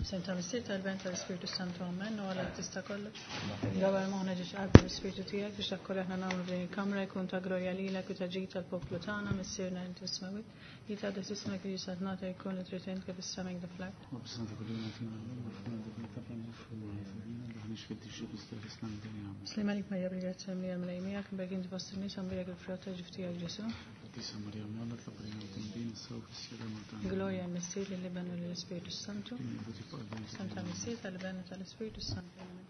Senta Missier tal-Ben tal-Ispirtu Santu Amen u għala tista' kollox. Dawar moħna ġiex qalb l-Ispirtu tiegħek biex dak kollu aħna nagħmlu f'din il-kamra jkun ta' glorja lilek u ta' ġid tal-poplu tagħna Missierna inti fis-smewwiet. Li taqdes ismek li saltnata jkun li trid int kif is-sema hekk fl-art. Slim għalik Marija bil-grazzja mlija mlej miegħek, imbagħad inti fost in-nies għambilek il-frott ta' ġuf tiegħek Ġesu. Glorja l-Missier lill-Iben u lill-Ispirtu Santu. Santa Missier tal-Iben u tal-Ispirtu Santu. Amen.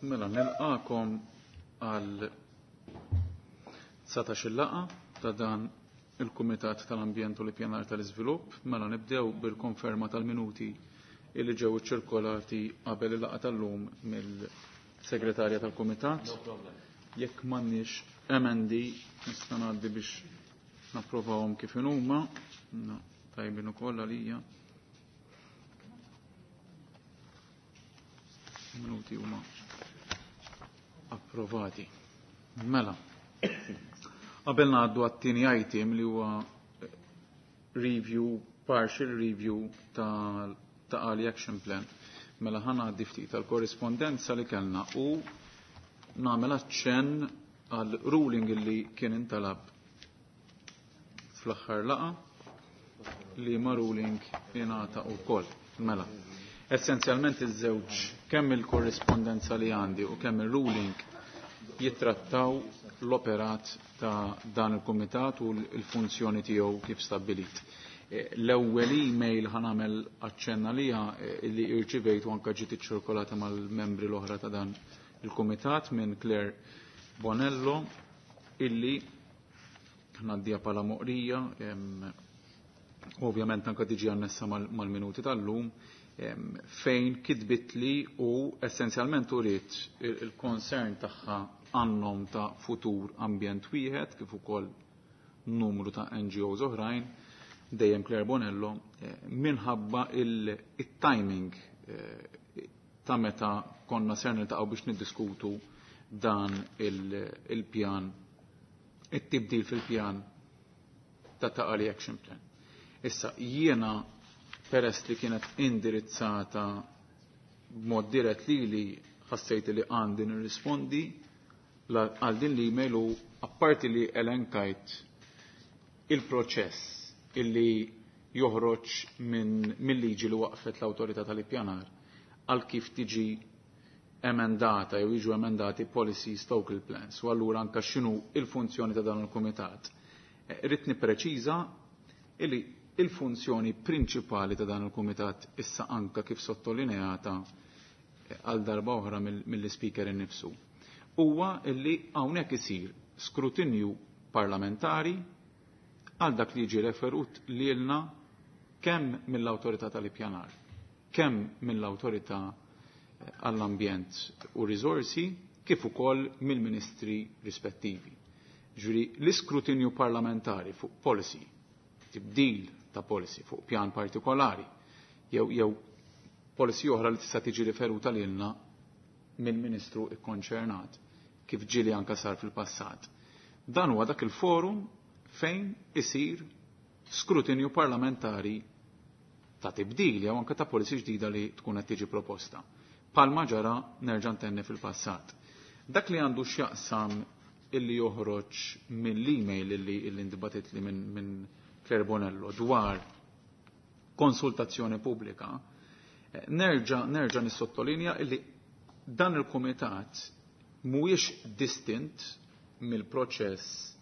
Mela, nilqakom għal 19 laqa ta' dan il-Kumitat tal-Ambjent u l-Ippjanar tal-Iżvilupp. Mela nibdew bil-konferma tal-minuti illi ġew iċċirkolati qabel il-laqgħa tal-lum mill-Segretarja tal-Kumitat. Jekk m'għandniex emendi nista' ngħaddi biex napprovawhom kif inhuma. No, tajbin ukoll għalija. Minuti huma approvati. Mela. Qabel ngħaddu għat-tieni item li huwa review, partial review ta' ta' Ali Action Plan. Mela ħa ngħaddi ftit tal-korrispondenza li kellna u nagħmel aċċenn għal ruling li kien intalab fl-aħħar laqa li ma ruling ingħata wkoll. Mela. Essenzjalment iż-żewġ kemm il-korrispondenza li għandi u kemm il-ruling jittrattaw l-operat ta' dan il-kumitat u l-funzjoni tiegħu kif stabbilit. L-ewwel email ħa nagħmel aċċenna liha li irċivejt u anke ġiet iċċirkolata mal-membri l-oħra ta' dan il-kumitat minn Claire Bonello illi ngħaddiha bħala moqrija, ovvjament anke tiġi annessa mal-minuti tal-lum, fejn kitbitli u essenzjalment uriet il-concern tagħha għannom ta' futur ambjent wieħed kif ukoll numru ta' NGOs oħrajn, dejjem Claire Bonello, minħabba il-timing ta' meta konna ser niltaqgħu biex niddiskutu dan il-pjan, it-tibdil fil-pjan ta' Ta' Qali Action Plan. Issa, jiena peress li kienet indirizzata b'mod dirett lili ħassejt li għandi nirrispondi għal din l-email u apparti li elenkajt il-proċess illi joħroġ minn mill-liġi li waqfet l-awtorità tal-ippjanar għal kif tiġi emendata jew jiġu emendati policies local plans u allura anka x'inhu il-funzjoni ta' dan il-kumitat. Irrid nippreċiża illi il-funzjoni prinċipali ta' dan il-kumitat issa anka kif sottolineata għal darba oħra mill-speaker innifsu. Huwa illi hawnhekk isir skrutinju parlamentari għal dak li jiġi referut lilna kemm mill-awtorità tal-ippjanar, kemm mill-awtorità għall-ambjent u riżorsi, kif ukoll mill-ministri rispettivi. Ġifieri l-iskrutinju parlamentari fuq policy, tibdil ta' policy fuq pjan partikolari, jew jew policy oħra li tista' tiġi riferuta lilna mill-ministru ikkonċernat, kif ġieli anka sar fil-passat. Dan huwa dak il-forum fejn isir skrutinju parlamentari ta' tibdil jew anke ta' policy ġdida li tkun qed tiġi proposta. Palma ġara nerġa' ntenni fil-passat. Dak li għandu x'jaqsam illi joħroġ mill-email illi illi intbatit li minn min Claire Bonello dwar konsultazzjoni pubblika, nerġa' nerġa' nissottolinja illi dan il-kumitat mhuwiex distint mill-proċess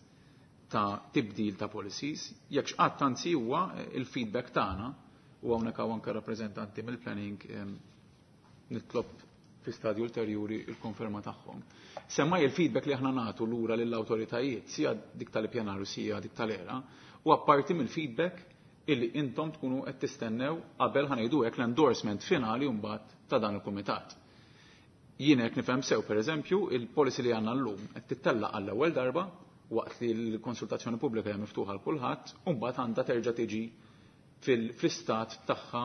ta' tibdil ta' policies, jekk x'qatt anzi huwa il-feedback tagħna u hawnhekk hawn anke rappreżentanti mill-planning nitlob fi stadju ulterjuri il-konferma tagħhom. Semmaj il-feedback li aħna nagħtu lura lill-awtoritajiet, sija dik tal-ippjanar u sija dik tal-era, u apparti mill-feedback illi intom tkunu qed tistennew qabel ħanejdu hekk l-endorsement finali mbagħad ta' dan il-kumitat. Jien hekk nifhem sew pereżempju il-policy li għandna llum qed tittellaq għall-ewwel darba waqt li l-konsultazzjoni pubblika hija miftuħa għal kulħadd, u mbagħad għandha terġa' tiġi fil-istat tagħha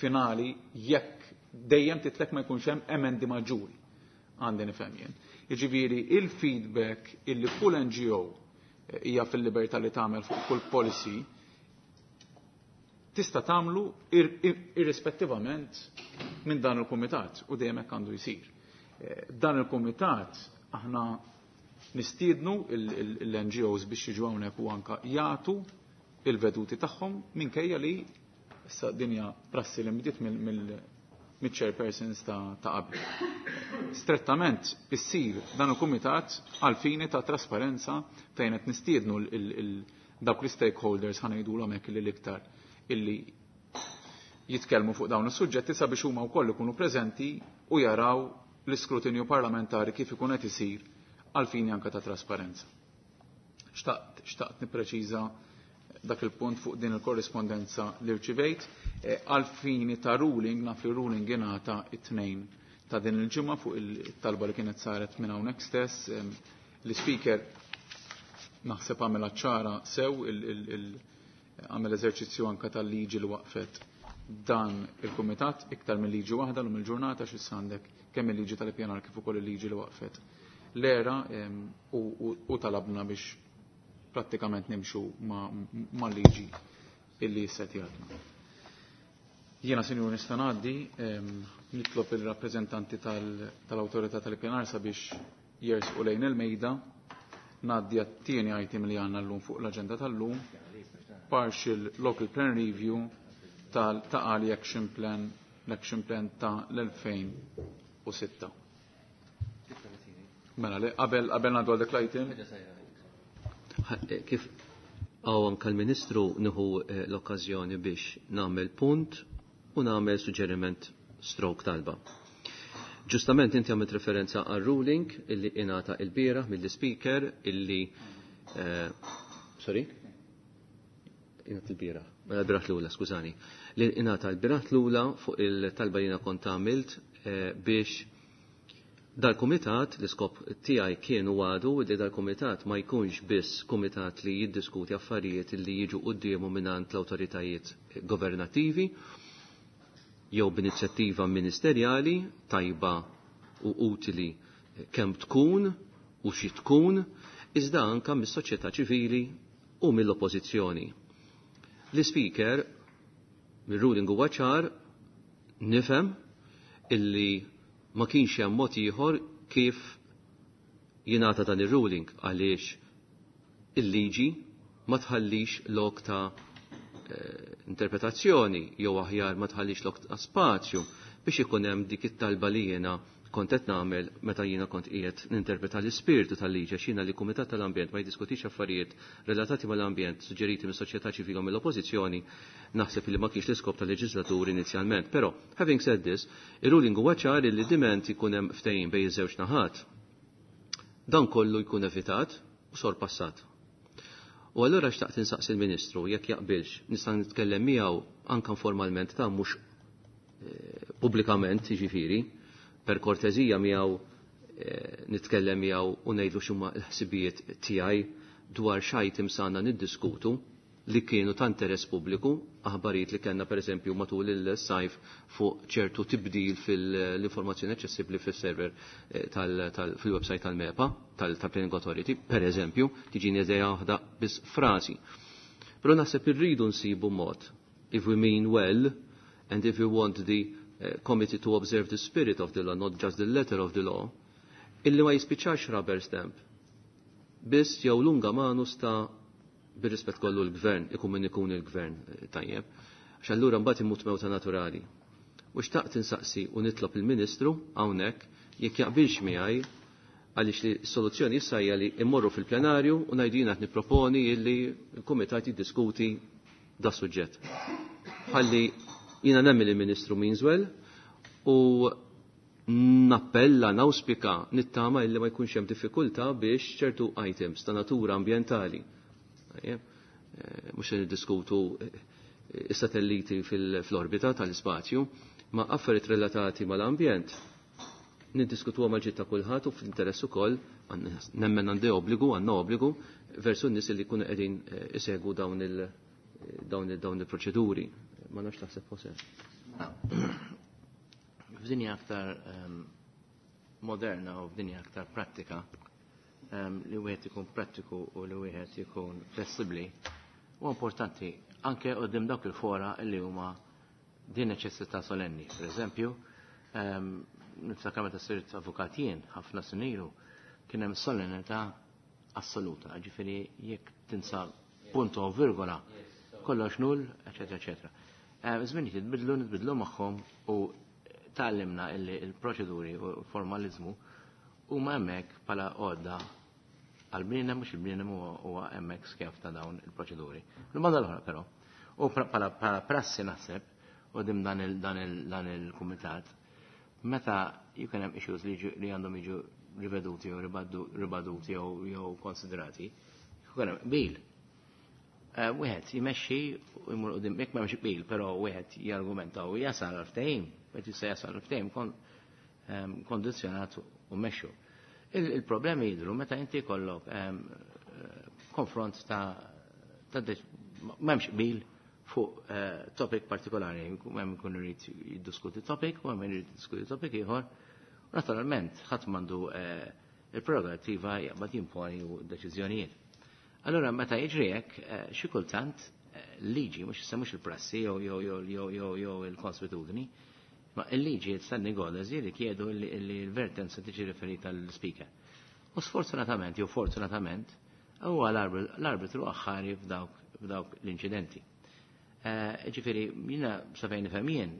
finali jekk dejjem titlek ma jkunx hemm emendi maġġuri. Għandi nifhem jien. Jiġifieri il-feedback illi kull NGO hija fil-libertà li tagħmel fuq kull policy tista' tagħmlu irrispettivament minn dan il-kumitat u dejjem hekk għandu jsir. Dan il-kumitat aħna nistiednu l-NGOs biex jiġu hawnhekk u anka jagħtu il-veduti tagħhom minkejja li issa dinja prassi li nbdiet mill-chairpersons ta' qabel. Strettament issir dan il-kumitat għal fini ta' trasparenza fejn qed nistiednu dawk l-stakeholders, ħa ngħidulhom hekk, li l-iktar illi jitkellmu fuq dawn is-suġġetti sabiex huma wkoll ikunu preżenti u jaraw l-iskrutinju parlamentari kif ikun qed isir għal fini anka ta' trasparenza. Xtaqt nippreċiża dak il-punt fuq din il-korrispondenza li rċivejt. Għal fini ta' ruling, naf li ruling ingħata it-Tnejn ta' din il-ġimgħa fuq il-talba li kienet saret minn hawnhekk stess. L-speaker naħseb għamel ċara sew, għamel eżerċizzju anka tal-liġi li waqfet dan il-kumitat, iktar minn liġi waħda l il-ġurnata x'issa għandek kemm il-liġi tal-ippjanar kif ukoll il-liġi li waqfet l-ERA, u talabna biex prattikament nimxu ma' liġi illi jissetjatna. Jiena, sinjur, nista' ngħaddi nitlob il-rappreżentanti tal-Awtorità tal-Ippjanar sabiex jersqu lejn il-mejda. Ngħaddi għat-tieni item li għandna llum fuq l-aġenda tal-lum, partial local plan review tal-Ta' Qali Action Plan, l-Action Plan ta' l-2006. Mela, li qabel ngħaddu għal dik l-item. Kif għaw anka l-Ministru, nieħu l-okkazjoni biex nagħmel punt u nagħmel suġġeriment stroke talba. Ġustament inti għamilt referenza għal ruling illi ingħata il-bieraħ mill-speaker illi sorry? Ingħata il-bieraħ, mela l-bieraħ l-ula, skużani. Li ingħata l-bieraħ l-ula fuq il-talba li jiena kont għamilt biex dal-kumitat, l-iskop tiegħi kien u għadu li dal-kumitat ma jkunx biss kumitat li jiddiskuti affarijiet li jiġu quddiemu mingħand l-awtoritajiet governattivi jew b'inizjattiva ministerjali tajba u utili kemm tkun u xi tkun, iżda anka mis-soċjetà ċivili u mill-oppożizzjoni. L-speaker mir-ruling huwa ċar, nifhem illi ma kienx hemm mod ieħor kif jingħata dan ir-ruling għaliex il-liġi ma tħallix lok ta' interpretazzjoni jew aħjar ma tħallix lok ta' spazju biex ikun hemm dik it-talba li jiena kont qed nagħmel meta jiena kont qiegħed ninterpreta l-ispirtu tal-liġi, għax jiena li Kumitat tal-Ambjent ma jiddiskutix affarijiet relatati mal-ambjent suġġeriti mis-soċjetà ċivili u mill-oppożizzjoni naħseb li ma kienx l-iskop tal-leġislatur inizjalment. Però, having said this, ir-ruling huwa ċar li diment ikun hemm ftehim bejn iż-żewġ naħat, dan kollu jkun evitat u sorpassat. U allura xtaqt insaqsi il-Ministru jekk jaqbilx, nista' nitkellem miegħu anke formalment ta' mhux pubblikament, jiġifieri, per kortezija miegħu nitkellem miegħu u ngħidlu x'huma l-ħsibijiet tiegħi dwar x'items għandna niddiskutu li kienu ta' interess pubbliku, aħbarijiet li kellna pereżempju matul il-sajf fuq ċertu tibdil fil-informazzjoni aċċessibbli fis-server fil-website tal-MEPA, tal-Planning Authority, pereżempju, tiġini idea waħda biss frasi. Però naħseb irridu nsibu mod, if we mean well, and if we want the committee to observe the spirit of the law, not just the letter of the law, illi ma jispiċċax rubber stamp. Biss jew lunga manus ta' bir-rispett kollu l-gvern, ikun min ikun il-gvern, tajjeb, għax allura mbagħad imut mewta naturali. U xtaqt insaqsi u nitlob il-Ministru hawnhekk jekk jaqbilx miegħi, għaliex li s-soluzzjoni issa hija li immorru fil-plenarju u ngħidu jiena qed nipproponi illi l-kumitat jiddiskuti da suġġett. Ħalli jiena nemmen il-Ministru means well u nappella, nawspika, nittama illi ma jkunx hemm diffikultà biex ċertu items ta' natura ambjentali. Mhux se niddiskutu is-satelliti fil-orbita tal-ispazju, ma affarijiet relatati mal-ambjent niddiskutuha mal-ġid ta' kulħadd u fl-interess ukoll nemmen għandi obbligu, għandna obbligu versu n-nies li jkunu qegħdin isegwu dawn il-proċeduri. Ma nafx taħseb Jose. F'dinja aktar moderna u f'dinja aktar prattika li wieħed ikun prattiku u li wieħed ikun flessibbli huwa importanti anke qudiem dawk il-fora li huma din neċessità solenni. Per eżempju, niftakar meta sirt avukat jien ħafna snin ilu kien hemm solennità assoluta, ġifieri jekk tinsa punto u virgola, kollox null, eċetera, eċetera. Żminijiet jitbidlu, nitbidlu magħhom u tgħallimna illi il-proċeduri u l-formalizmu huma hemmhekk bħala għodda għal-bniedem, mhux il-bniedem huwa hemmhekk skjav ta' dawn il-proċeduri. Il-banda l-oħra però, u bħala prassi naħseb quddiem dan il-kumitat, meta jkun hemm issues li għandhom jiġu riveduti jew ribaduti jew konsiderati, jkun hemm qbil. Wieħed jmexxi u jmur quddiem, jekk m'hemmx qbil, però wieħed jargumenta u jasal għal ftehim, wieħed jista' jasal għal ftehim kondizzjonat u mmexxu. Il-problemi jidhru meta inti jkollok konfront ta' m'hemmx qbil fuq topic partikolari, hemm ikun irid jiddiskuti topic u hemm irid jiddiskuti topic ieħor. U naturalment ħadd m'għandu il-prerogattiva jaqbad jimponi u deċiżjonijiet. Allora meta jiġri hekk, xi kultant liġi, mhux issa mhux il-prassi jew il-konswitudni, ma il-liġi standing orders jirrikjedu li l-vertenza tiġi riferita l-speaker. U sfortunatament, jew fortunatament, huwa l-arbitru aħħari f'dawk l-inċidenti. Ġifieri, jiena sa fejn nifhem jien,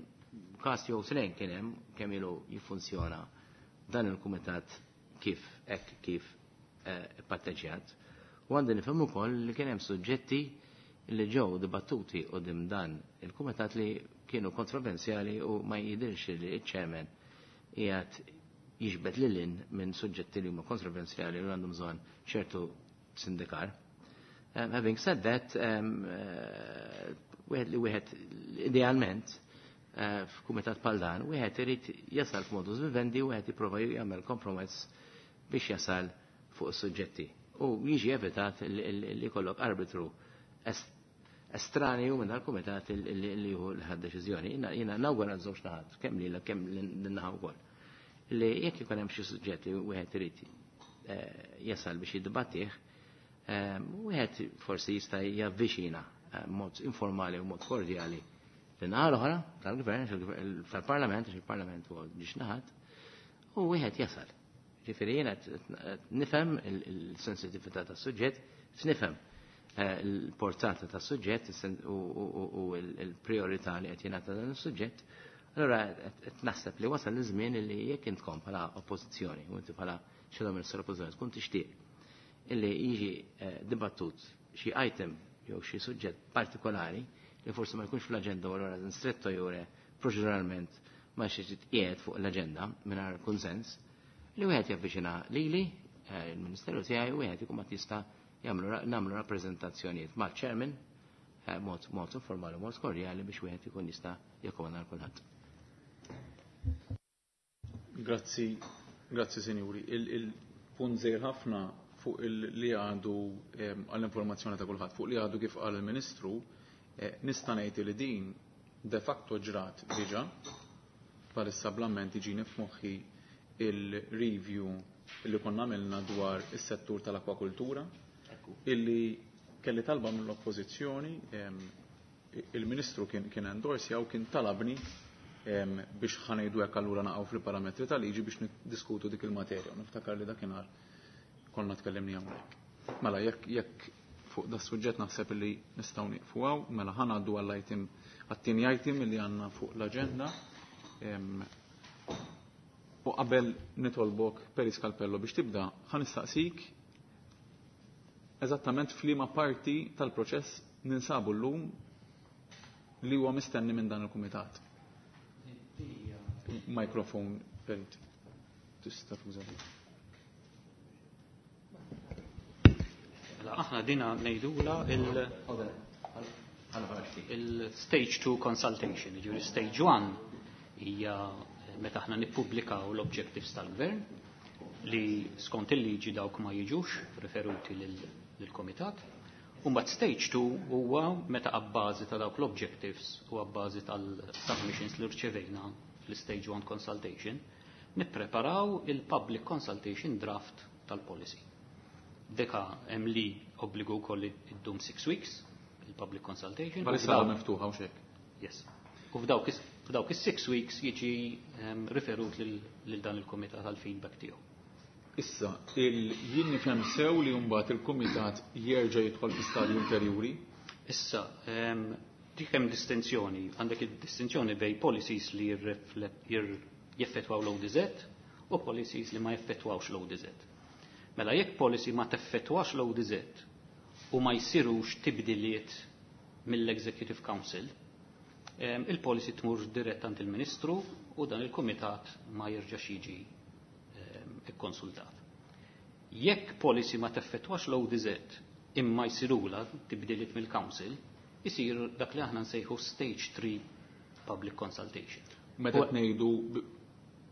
każ jew tnejn kien hemm kemm ilu jiffunzjona dan il-kumitat kif hekk kif ipatteġġjat. U għandi nifhem ukoll li kien hemm suġġetti li ġew dibattuti quddiem dan il-kumitat li kienu kontroversjali u ma jidhirx li ċ-chairman qiegħed jiġbed lil hinn minn suġġetti li huma kontroversjali u għandhom bżonn ċertu sindikar. Having said that, wieħed li wieħed idealment f'kumitat bħal dan, wieħed irid jasal f'modus vivendi u wieħed jipprova jagħmel kompromess biex jasal fuq is-suġġetti. U jiġi evitat li jkollok arbitru estranju minn dal-kumitat li jieħu l-ħad deċiżjoni. Jiena nawgura żewġ naħat, kemm lilek kemm lin-naħa wkoll. Li jekk ikun hemm xi suġġett li wieħed irid jasal biex jiddibattih, wieħed forsi jista' javviċina mod informali u mod kordjali l-naħa l-oħra tal-gvern, tal-parlament, għax il-parlament huwa ġiex naħat, u wieħed jasal. Ġifieri jiena nifhem il-sensitività tas-suġġett, nifhem il-portata tas-suġġett u l-priorità li qed jingħata dan is-suġġett. Allura qed naħseb li wasal iż-żmien li jekk intkom bħala oppożizzjoni u inti bħala shadow minister oppożizzjoni tkun tixtieq illi jiġi dibattut xi item jew xi suġġett partikolari li forsi ma jkunx fl-aġenda u allura stretto jure proċeduralment ma xi tqiegħed fuq l-aġenda mingħajr kunsens, li wieħed javviċina lili, il-Ministeru tiegħi, u wieħed ikun ma jista' nagħmlu rappreżentazzjonijiet mal-chairman mod informali u mod kordjali biex wieħed ikun jista' jakkomoda lil kulħadd. Grazzi, grazzi sinjuri. Il-punt żgħir ħafna fuq li għandu għall-informazzjoni ta' kulħadd, fuq li għadu kif qal il-Ministru, nista' ngħid li din de facto ġrat diġà, bħalissa bl-amment jiġini f'moħħi il-review li konna għamilna dwar is-settur tal-akwakultura, illi kelli talba mill-oppożizzjoni, il-Ministru kien endorsja u kien talabni biex ħanejdu hekk allura naqgħu fil-parametri tal-liġi biex niddiskutu dik il-materja. Niftakar li dakinhar konna tkellimni hawnhekk. Mela jekk fuq da suġġett naħseb li nistgħu nieqfu hawn, mela ħa ngħaddu għall-item għat-tieni item li għandna fuq l-aġenda. U qabel nitolbok Perit Scalpello biex tibda, ħa nistaqsik eżattament f'liema parti tal-proċess ninsabu llum li huwa mistenni minn dan il-kumitat. Mikrofon, Perit. Tista' tuża. Aħna dina ngħidula il-stage 2 consultation, ġifieri stage 1 hija meta aħna nippubblikaw l-objectives tal-gvern li skont il-liġi dawk ma jiġux referuti lill-komitat. U mbagħad stage 2 huwa meta abbażi ta' dawk l-objectives u abbażi tal-submissions li rċevejna fl-stage 1 consultation, Nippreparaw il-public consultation draft tal-policy. Deka hemm li obbligu wkoll li ddum 6 weeks il-public consultation. Bħalissa għadha miftuħa u xek. Yes. U f'dawk is-6 weeks jiġi riferut lil dan il-kumitat għal feedback tiegħu. Issa, jien nifhem sew li mbagħad il-kumitat jerġa' jidħol fi stadju ulterjuri? Issa, dik hemm distinzjoni, għandek id-distinzjoni bejn policies li jeffettwaw l-ODZ u policies li ma jeffettwawx l-ODZ. Mela jekk policy ma teffettwax l-ODZ u ma jsirux tibdiliet mill-Executive Council, il-policy tmur dirett għand il-Ministru u dan il-Kumitat ma jerġax jiġi ikkonsultat. Jekk policy ma teffettwax l-ODZ imma jsirula tibdiliet mill-Council, isir dak li aħna nsejħu Stage 3 Public Consultation. Meta ngħidu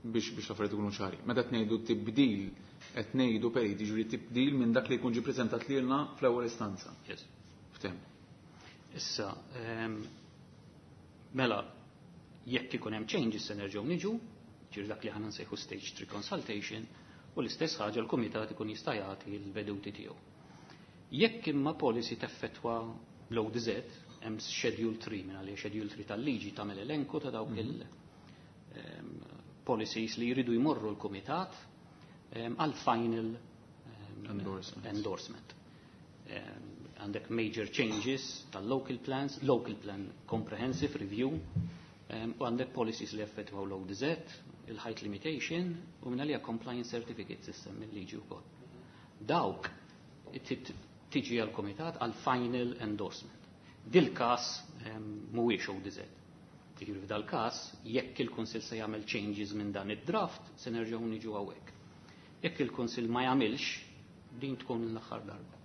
biex l-affarijiet ikunu ċari, meta ngħidu tibdil qed ngħidu perit, jiġifieri tibdil minn dak li jkun ġie preżentat lilna fl-ewwel istanza. Yes. Ftem. Issa, mela, jekk ikun hemm changes se nerġgħu niġu, ġifieri dak li aħna nsejħu Stage 3 Consultation, u l-istess ħaġa l-kumitat ikun jista' jagħti l-veduti tiegħu. Jekk imma policy teffettwa l-ODZ, hemm Schedule 3, minn għalija Schedule 3 tal-liġi tagħmel elenku ta' dawk il policies li jridu jmorru l-kumitat għal final endorsement. endorsement. Għandek major changes tal-local plans, local plan comprehensive review, u għandek policies li effettwaw l-ODZ, il-height limitation, u minn għalija compliance certificate system mill-liġi wkoll. Dawk tiġi għal-komitat għal final endorsement. Dil-kas mhuwiex ODZ. Jiġifieri f'dal-każ, jekk il-Kunsill se jagħmel changes minn dan id-draft, se nerġgħu niġu hawnhekk. Jekk il-Kunsill ma jagħmilx, din tkun l-aħħar darba.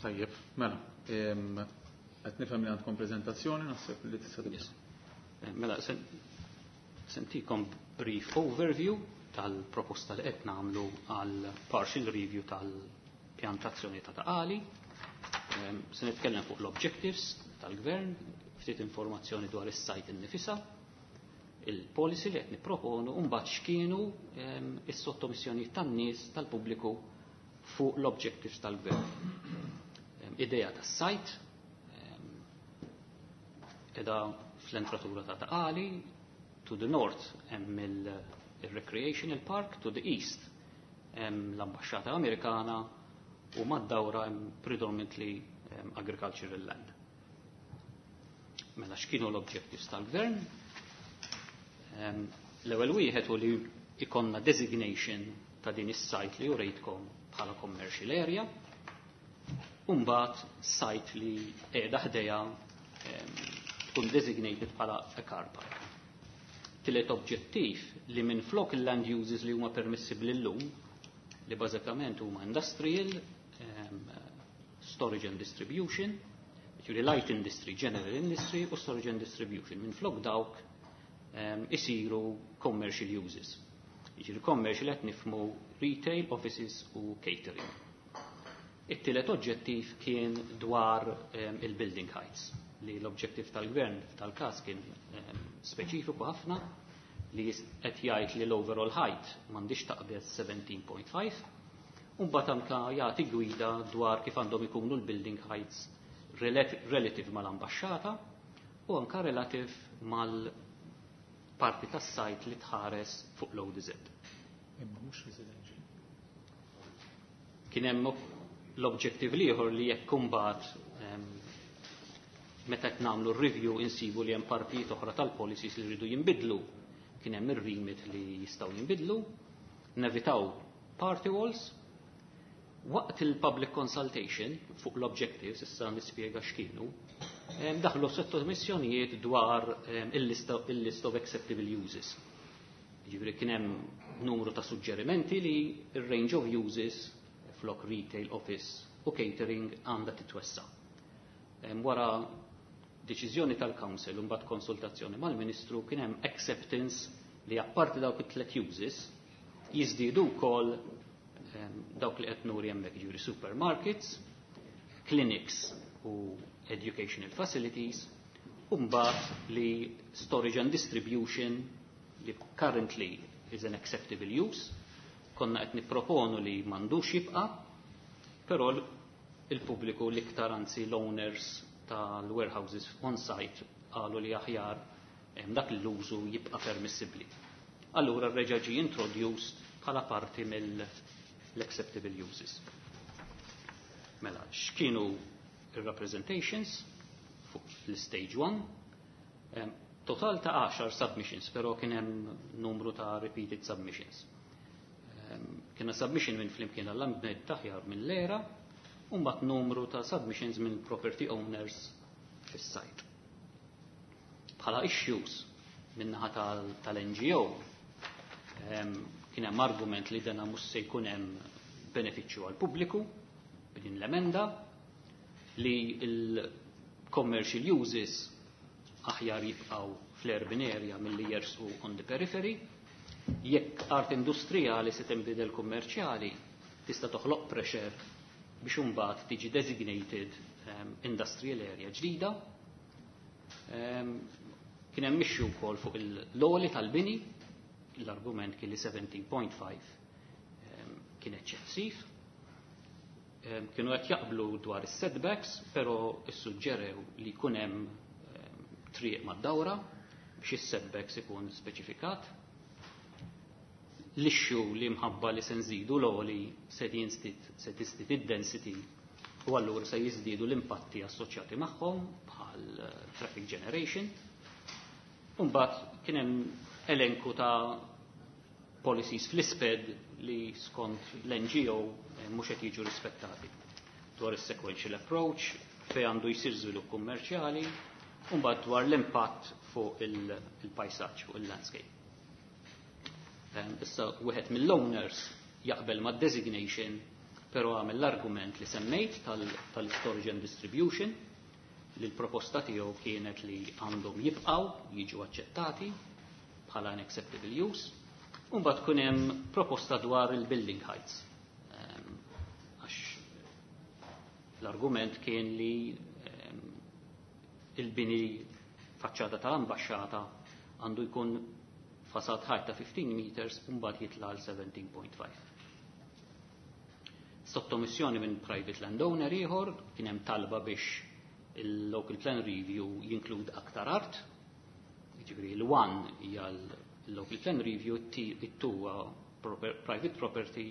Tajjeb, mela, qed nifhem li għandkom preżentazzjoni, naħseb li tista' tibda. Yes. Mela, sentikom brief overview tal-proposta li qed nagħmlu għal partial review tal-pjantazzjoni ta' Ta' Qali. Se nitkellem fuq l-objectives tal-gvern, ftit informazzjoni dwar is-site innifisha, il-policy li qed nipproponu, u mbagħad x'kienu is-sottomissjonijiet tan-nies tal-pubbliku fuq l-objectives tal-gvern. Idea tas-site, edha fl-entratura ta' Ta' Qali, to the north hemm il-recreational park, to the east hemm l-ambasċata Amerikana u mad-dawra hemm predominantly agricultural land. Mela x'kienu l-objectives tal-gvern? L-ewwel wieħed hu li ikonna designation ta' din is-site li urejtkom bħala commercial area, u mbagħad site li qiegħda ħdejha tkun designated bħala a car park. Tielet objettiv li minn flok il-land uses li huma permissibbli llum, li bażikament huma industrial, storage and distribution, ġifieri light industry, general industry u storage and distribution. Minn flok dawk isiru commercial uses. Ġifieri commercial qed nifhmu retail, offices u catering. It-tielet oġġettiv kien dwar il-building heights, li l-objettiv tal-gvern tal-każ kien speċifiku ħafna, li qed jgħid li l-overall height m'għandix taqbeż 17.5, u mbagħad anke jagħti gwida dwar kif għandhom ikunu l-building heights relative mal-ambaxxata u anke relative mal-parti tas-sajt li tħares fuq l-ODZ. Imma mhux residential. Kien hemm l-objective ieħor li jekk imbagħad meta qed nagħmlu r-review insibu li hemm partijiet oħra tal-policies li rridu jinbidlu, kien hemm ir-remit li jistgħu jinbidlu, nevitaw party walls. Waqt il-public consultation fuq l-objectives, issa nispjega x'kienu, daħlu sottomissjonijiet dwar il-list of acceptable uses. Ġifieri kien hemm numru ta' suġġerimenti li il-range of uses flok retail, office u catering għandha titwessa. Wara deċiżjoni tal-Council u mbagħad konsultazzjoni mal-Ministru kien hemm acceptance li apparti dawk it-tlet uses jiżdiedu wkoll dawk li qed nuri hemmhekk, ġifieri supermarkets, clinics u educational facilities, u mbagħad li storage and distribution li currently is an acceptable use. Konna qed nipproponu li m'għandux jibqa', però il-pubbliku l-iktar, anzi l-owners tal-warehouses on site, qalu li aħjar dak l-użu jibqa' permissibbli. Allura reġa' ġie introduced bħala parti mill-acceptable uses. Mela, x'kienu il-representations fuq l-stage 1? Total ta' 10 submissions, pero kien hemm numru ta' repeated submissions. Kiena submission minn Flimkien għall-Ambjent Aħjar, minn l-ERA, u mbagħad numru ta' submissions minn property owners fis-site. Bħala issues min-naħa tal-NGO kien hemm argument li dana mhux se jkun hemm benefiċċju għal pubbliku b'din l-emenda, li il-commercial uses aħjar jibqaw fl-urban area milli jersqu on the periphery, jekk art industrijali se tinbidel kummerċjali tista' toħloq pressure biex imbagħad tiġi designated industrial area ġdida. Kien hemm issue wkoll fuq l-għoli tal-bini, l-argument kien li 17.5 kien eċċessiv. Kienu qed jaqblu dwar is-setbacks, però issuġġerew li jkun hemm triq mad-dawra biex is-setbacks ikun speċifikat. L-issue li mħabba li se nżidu l-għoli se jinżdied, se tiżdied id-density u allura se jiżdiedu l-impatti assoċjati magħhom bħal traffic generation. Imbagħad kien hemm elenku ta' policies fl-ISPED li skont l-NGO mhux qed jiġu rispettati. Dwar is-sequential approach, fejn għandu jsir żvilupp kummerċjali, u mbagħad dwar l-impatt fuq il-pajsaġġ, fuq il-landscape. Issa wieħed mill-owners jaqbel ma' designation, pero għamel l-argument li semmejt tal-storage and distribution, li l-proposta tiegħu kienet li għandhom jibqaw jiġu aċċettati bħala an acceptable use, u mbagħad kun hemm proposta dwar il-building heights. Għax l-argument kien li il-bini faċċata tal-ambaxxata għandu jkun facade height ta' 15 meters u mbagħad jitla' għal 17.5. Sottomissjoni minn private landowner ieħor kien hemm talba biex il-local plan review jinklud aktar art. Jiġifieri l-1 hija l-local plan review, it-2 private property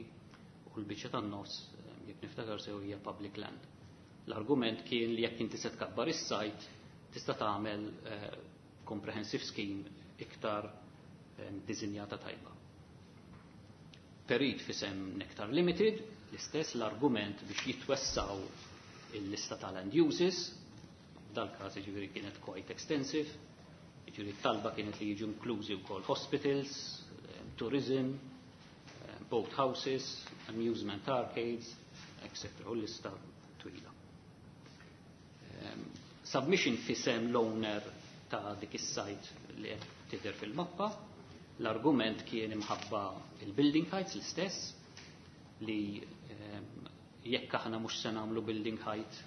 u l-biċċa tan-nofs, jekk niftakar sew, hija public land. L-argument kien li jekk inti se tkabbar is-site tista' tagħmel comprehensive scheme iktar dizinjata tajba. Perit f'isem Nectar Limited, l-istess l-argument biex jitwessaw il-lista tal-land uses, dal-każ ġifieri kienet quite extensive, ġifieri talba kienet li jiġu inklużi wkoll hospitals, tourism, boat houses, amusement arcades, etc. U l-lista twila. Submission f'isem l-owner ta' dik is-site li qed tidher fil-mappa, l-argument kien imħabba il-building heights l-istess, li jekk aħna mhux se nagħmlu building height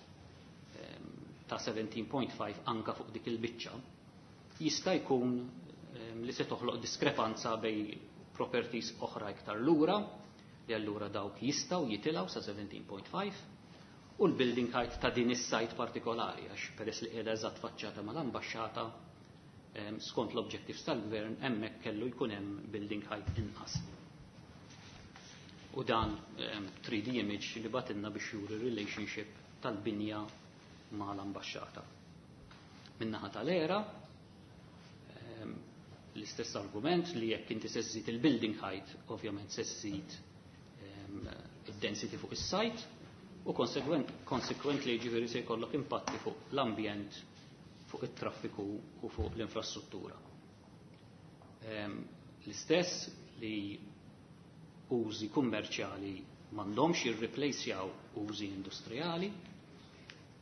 ta' 17.5 anka fuq dik il-biċċa, jista' jkun li se toħloq diskrepanza bejn properties oħra iktar lura, li allura dawk jistgħu jitilgħu sa 17.5, u l-building height ta' din is-site partikolari, għax peress li qiegħda eżatt faċċata mal-ambaxxata, skont l-objectives tal-gvern hemmhekk kellu jkun hemm building height inqas. U dan 3D image li bagħtilna biex juri relationship tal-binja ma' l-ambaxxata. Min-naħa tal-ERA, l-istess argument li jekk inti se żżid il-building height, ovvjament se żżid id-density fuq is-site u consequently ġifieri se jkollok impatti fuq l-ambjent, fuq it-traffiku u fuq l-infrastruttura. L-istess li użi kummerċjali m'għandhomx jirreplacjaw użi industrijali,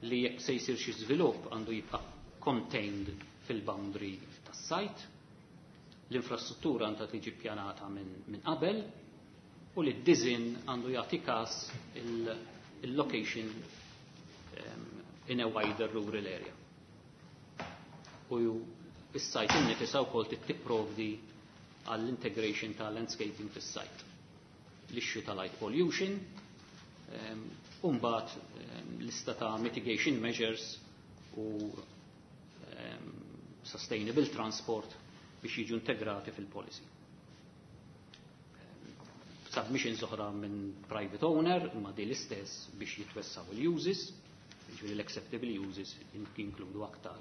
li jekk se jsir xi żvilupp għandu jibqa' contained fil-boundary tas-site, l-infrastruttura għandha tiġi ppjanata min qabel u li d-design għandu jagħti każ il-location in a wider rural area. U is-site innifisha wkoll tipprovdi għall-integration ta' landscaping fis-site. L-issue ta' light pollution, u mbagħad lista ta' mitigation measures u sustainable transport biex jiġu integrati fil-policy. Submissions oħra minn private owner, imma di l-istess biex jitwessaw il-uses, jiġifieri l-acceptable uses jinkludu aktar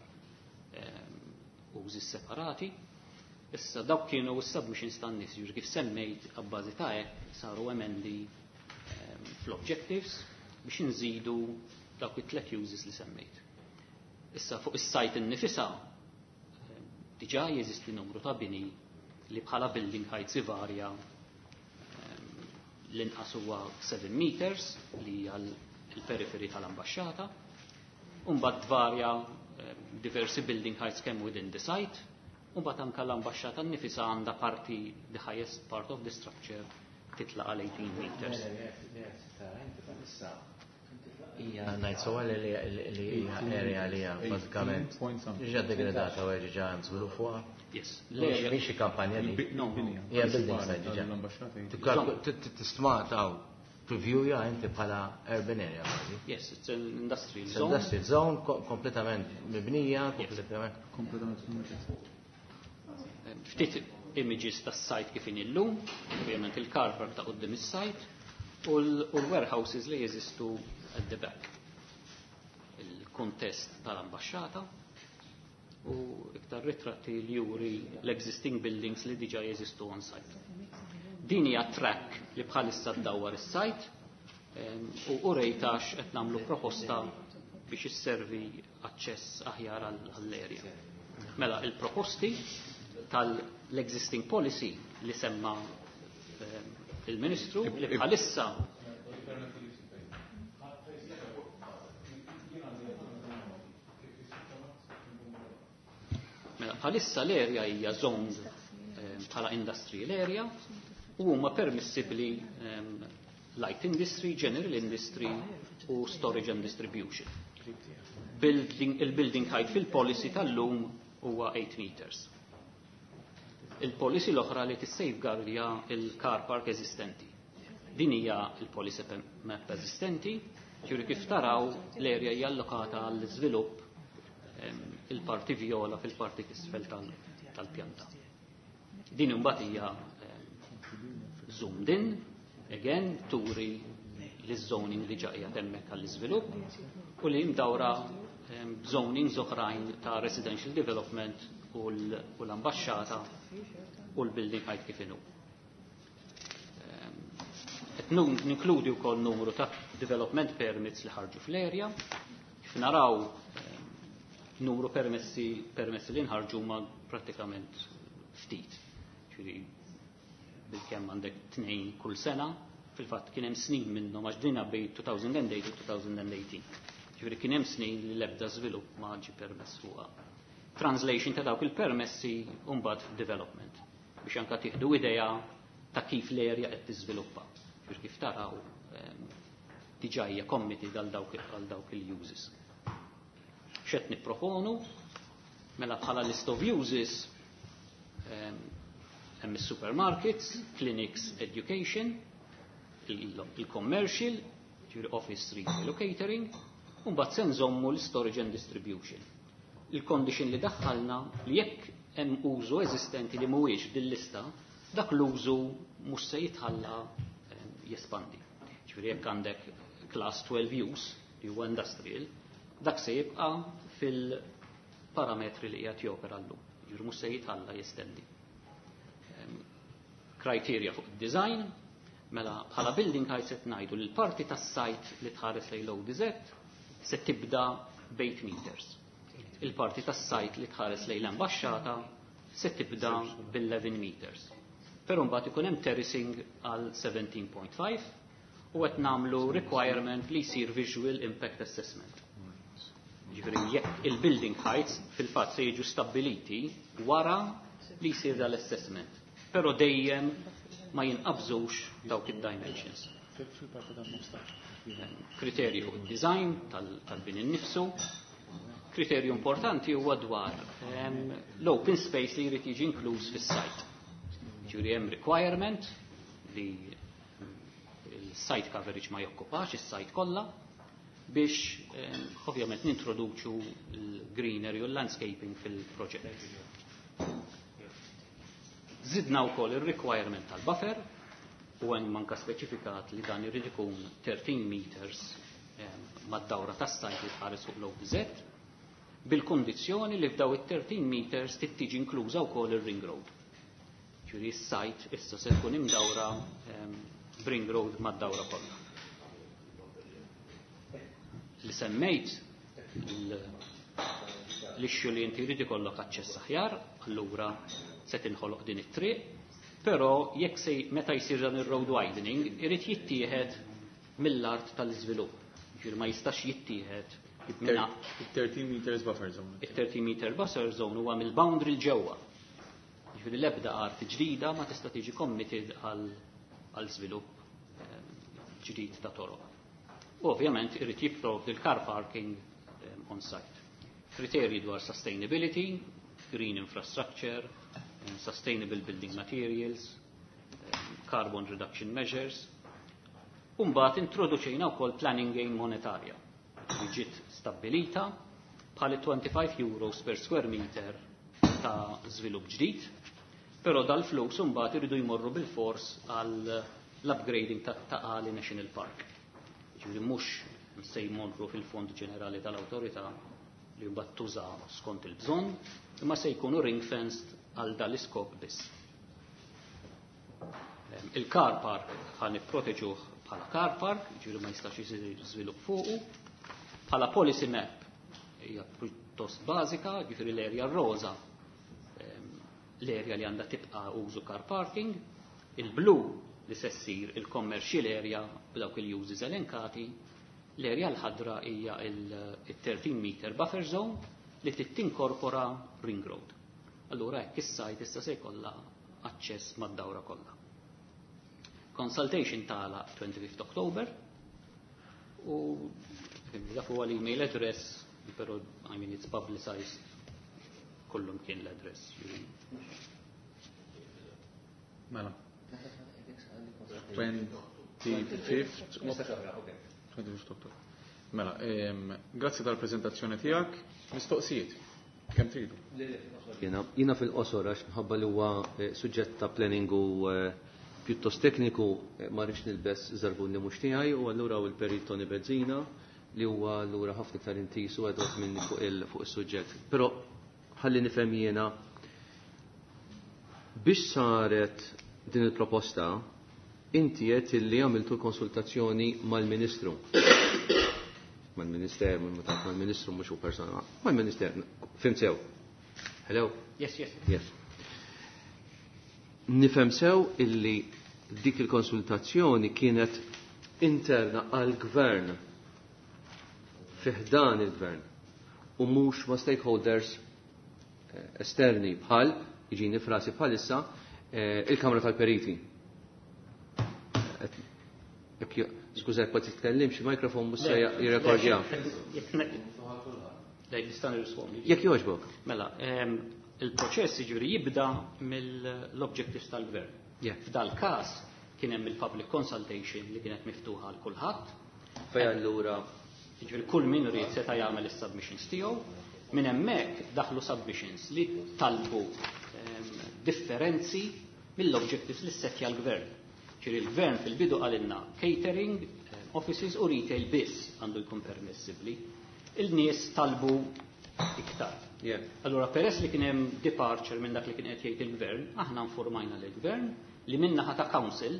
uses separati. Issa dawk kienu s-submissions tan-nies, jiġifieri kif semmejt abbażi ta' hekk saru emendi fl-objectives biex nżidu dawk it-tlet uses li semmejt. Issa fuq is-site innifisha diġà jeżisti numru ta' bini li bħala building heights ivarja, l-inqas huwa 7 meters li hija l-periferi tal-ambaxxata, u mbagħad tvarja diversi building heights kemm within the site, u mbagħad anke l-ambaxxata nnifisha għandha parti, the highest part of the structure titla' għal 18 meters. Ija, ngħid sewwa li hija area li hija bażikament ġa degradata u ġa hemm żvilupp fuqha? Yes. Mhix xi kampanja di. No. Hija building site diġà. Tistma taw preview ja inti bħala urban area kważi. Yes, it's an industrial It's zone. Industrial zone kompletament mibnija, kompletament. Kompletament. Ftit images tas-site kif inhi llum, ovvjament il-car park ta' quddiem is-site u l-warehouses li jeżistu at the back. Il-kontest tal-ambaxxata u iktar ritratti li juri l-existing buildings li diġa jeżistu on site. Din hija track li bħalissa ddawwar is-site u urejtax qed nagħmlu proposta biex isservi aċċess aħjar għall-area. Mela il-proposti tal-existing policy li semma il-Ministru li bħalissa. Mela, bħalissa l-area hija zoned bħala industrial area u huma permissibbli light industry, general industry u storage and distribution. Il-building height fil-policy tal-lum huwa 8 meters. Il-policy l-oħra li tissafeguardja il-car park eżistenti. Din hija il-policy map eżistenti, ġuri kif taraw l-area hija allokata għall-iżvilupp, il-parti viola fil-parti tisfel tal-pjanta. Din imbagħad hija zoomed in, again turi l-zoning li ġaqja hemmhekk għall-iżvilupp u li mdawra zoning oħrajn ta' residential development u l-ambaxxata u l-building height kif inhu. Qed ninkludi wkoll numru ta' development permits li ħarġu fl-area. Kif naraw, numru permessi li nħarġu ma prattikament ftit. Ġifieri bil-kemm għandek tnejn kull sena, fil-fatt kien hemm snin minnhom għax dina bejn 2008 u 2018. Ġifieri kien hemm snin li l-ebda żvilupp ma ġie permess fuqha. Translation ta' dawk il-permessi mbagħad development biex anka tieħdu idea ta' kif l-area qed tiżviluppa. Ġifieri kif taraw, diġà hija committed għal dawk il-uses. X'qed nipproponu? Mela bħala list of uses hemm is-supermarkets, clinics, education, il-commercial, ġifieri office, retail u catering, u mbagħad se nżommu l-storage and distribution. Il-condition li daħħalna li jekk hemm użu eżistenti li mhuwiex f'dil-lista, dak l-użu mhux se jitħalla jespandi. Ġifieri jekk għandek class 12 use li huwa industrial, dak se jibqa' fil-parametri li qiegħed jopera llum. Ġifieri mhux se jitħalla jestendi. Criteria fuq id-design, mela bħala building height se ngħidu li l-parti tas-site li tħares lejn l-ODZ se tibda b'8 meters. Il-parti tas-site li tħares lejn l-ambaxxata se tibda bil-11 meters. Però mbagħad ikun hemm terracing għal 17.5 u qed nagħmlu requirement li jsir visual impact assessment. Ġifieri jekk il-building heights fil-fatt se jiġu stabbiliti wara li jsir dal-assessment. Però dejjem ma jinqabżux dawk id-dimensions. Kriterju fuq id-design tal-bini nnifsu. Kriterju importanti huwa dwar l-open space li jrid jiġi inkluż fis-site. Ġifieri hemm requirement li il-site coverage ma jokkupax is-site kollha biex ovvjament nintroduċu l-greenery u l-landscaping fil-proġett. Zidna wkoll ir-requirement tal-buffer u hemm manka speċifikat li dan irid ikun 13 meters mad-dawra tas-sajt li tħares fuq l-OPZ bil-kondizzjoni li f'daw it-13 meters tittiġi inkluża wkoll ir-ring road. Ġifieri s-sajt issa se tkun imdawra b'ring road mad-dawra kollha. Li semmejt l-issue li inti jrid ikollok aċċess aħjar, allura se tinħoloq din it-triq, però jekk se meta jsir dan ir-road widening irid jittieħed mill-art tal-iżvilupp. Ġifieri ma jistax jittieħed minna Il-13 meters buffer zone. it-30 meter buffer zone huwa mill-boundary l-ġewwa. Ġifieri l-ebda art ġdida ma tista' tiġi committed għal żvilupp ġdid ta' toroq. U ovvjament irid jipprovdi l-car parking on site. Kriterji dwar sustainability, green infrastructure, sustainable building materials, carbon reduction measures. Umbagħad introduċejna wkoll planning gain monetarja li ġiet stabbilita bħal 25 euros per square meter ta' żvilupp ġdid, però dal-flus imbagħad iridu jmorru bil-fors għal l-upgrading ta' Ta' Qali National Park. Ġifieri mhux se jmorru fil-Fond Ġenerali tal-Awtorità li mbagħad tuża skont il-bżonn, imma se jkunu ring-fenced għal dal-iskop biss. Il-car park ħa nipproteġuh bħala car park, ġifieri ma jistax isir żvilupp fuqu. Bħala policy map hija pjuttost bażika, ġifieri l-erja rosa, l-erja li għandha tibqa' użu car parking, il-blu li se ssir il-commercial area b'dawk il-uses elenkati, l-erja l-ħadra hija il-13 meter buffer zone li trid tinkorpora ring road. Allura hekk is-sajt issa se jkollha aċċess mad-dawra kollha. Consultation tagħlaq 25 October u dak huwa l-email address, però, I mean, it's publicized kullum kien l-address. Mela. 25th October. Mela, grazzi tal-prezentazzjoni tiegħek. Mistoqsijiet. Kemm tridu? Jiena fil-qosor għax minħabba li huwa suġġett ta' planning u pjuttost tekniku, ma rridx nilbes żarbun li mhux tiegħi u allura u l-perit Tony Bezzina li huwa allura ħafna iktar intis u għedot minni fuq is-suġġett. Però ħalli nifhem jiena biex saret din il-proposta, inti qed illi għamiltu konsultazzjoni mal-Ministru. Mal-Minister, mal-Ministru mhux hu persona, mal-Minister, fhimt sew. Hello? Yes. Yes. Nifhem sew illi dik il-konsultazzjoni kienet interna għal-gvern, fi ħdan il-gvern, u mhux ma' stakeholders esterni bħal, jiġini frasi bħalissa, il-Kamra tal-Periti. Skuża, jekk ma titkellimx, il-mikrofon mhux se jirrekordja. Le, nista' nirrispondi. Jekk jogħġbok. Mela, il-proċess jiġifieri jibda mill-objectives tal-gvern. F'dal każ kien hemm il-public consultation li kienet miftuħa għal kulħadd. Fej allura Jiġifieri kull min ried seta' jagħmel is-submissions tiegħu. Minn hemmhekk daħlu submissions li talbu differenzi mill-objectives li ssettja l-gvern. Ġifieri l-gvern fil-bidu qalilna catering, offices u retail biss għandu jkun permessibbli. Il-nies talbu iktar. Allura peress li kien hemm departure minn dak li kien qed jgħid il-gvern, aħna informajna lill-gvern li min-naħa ta' council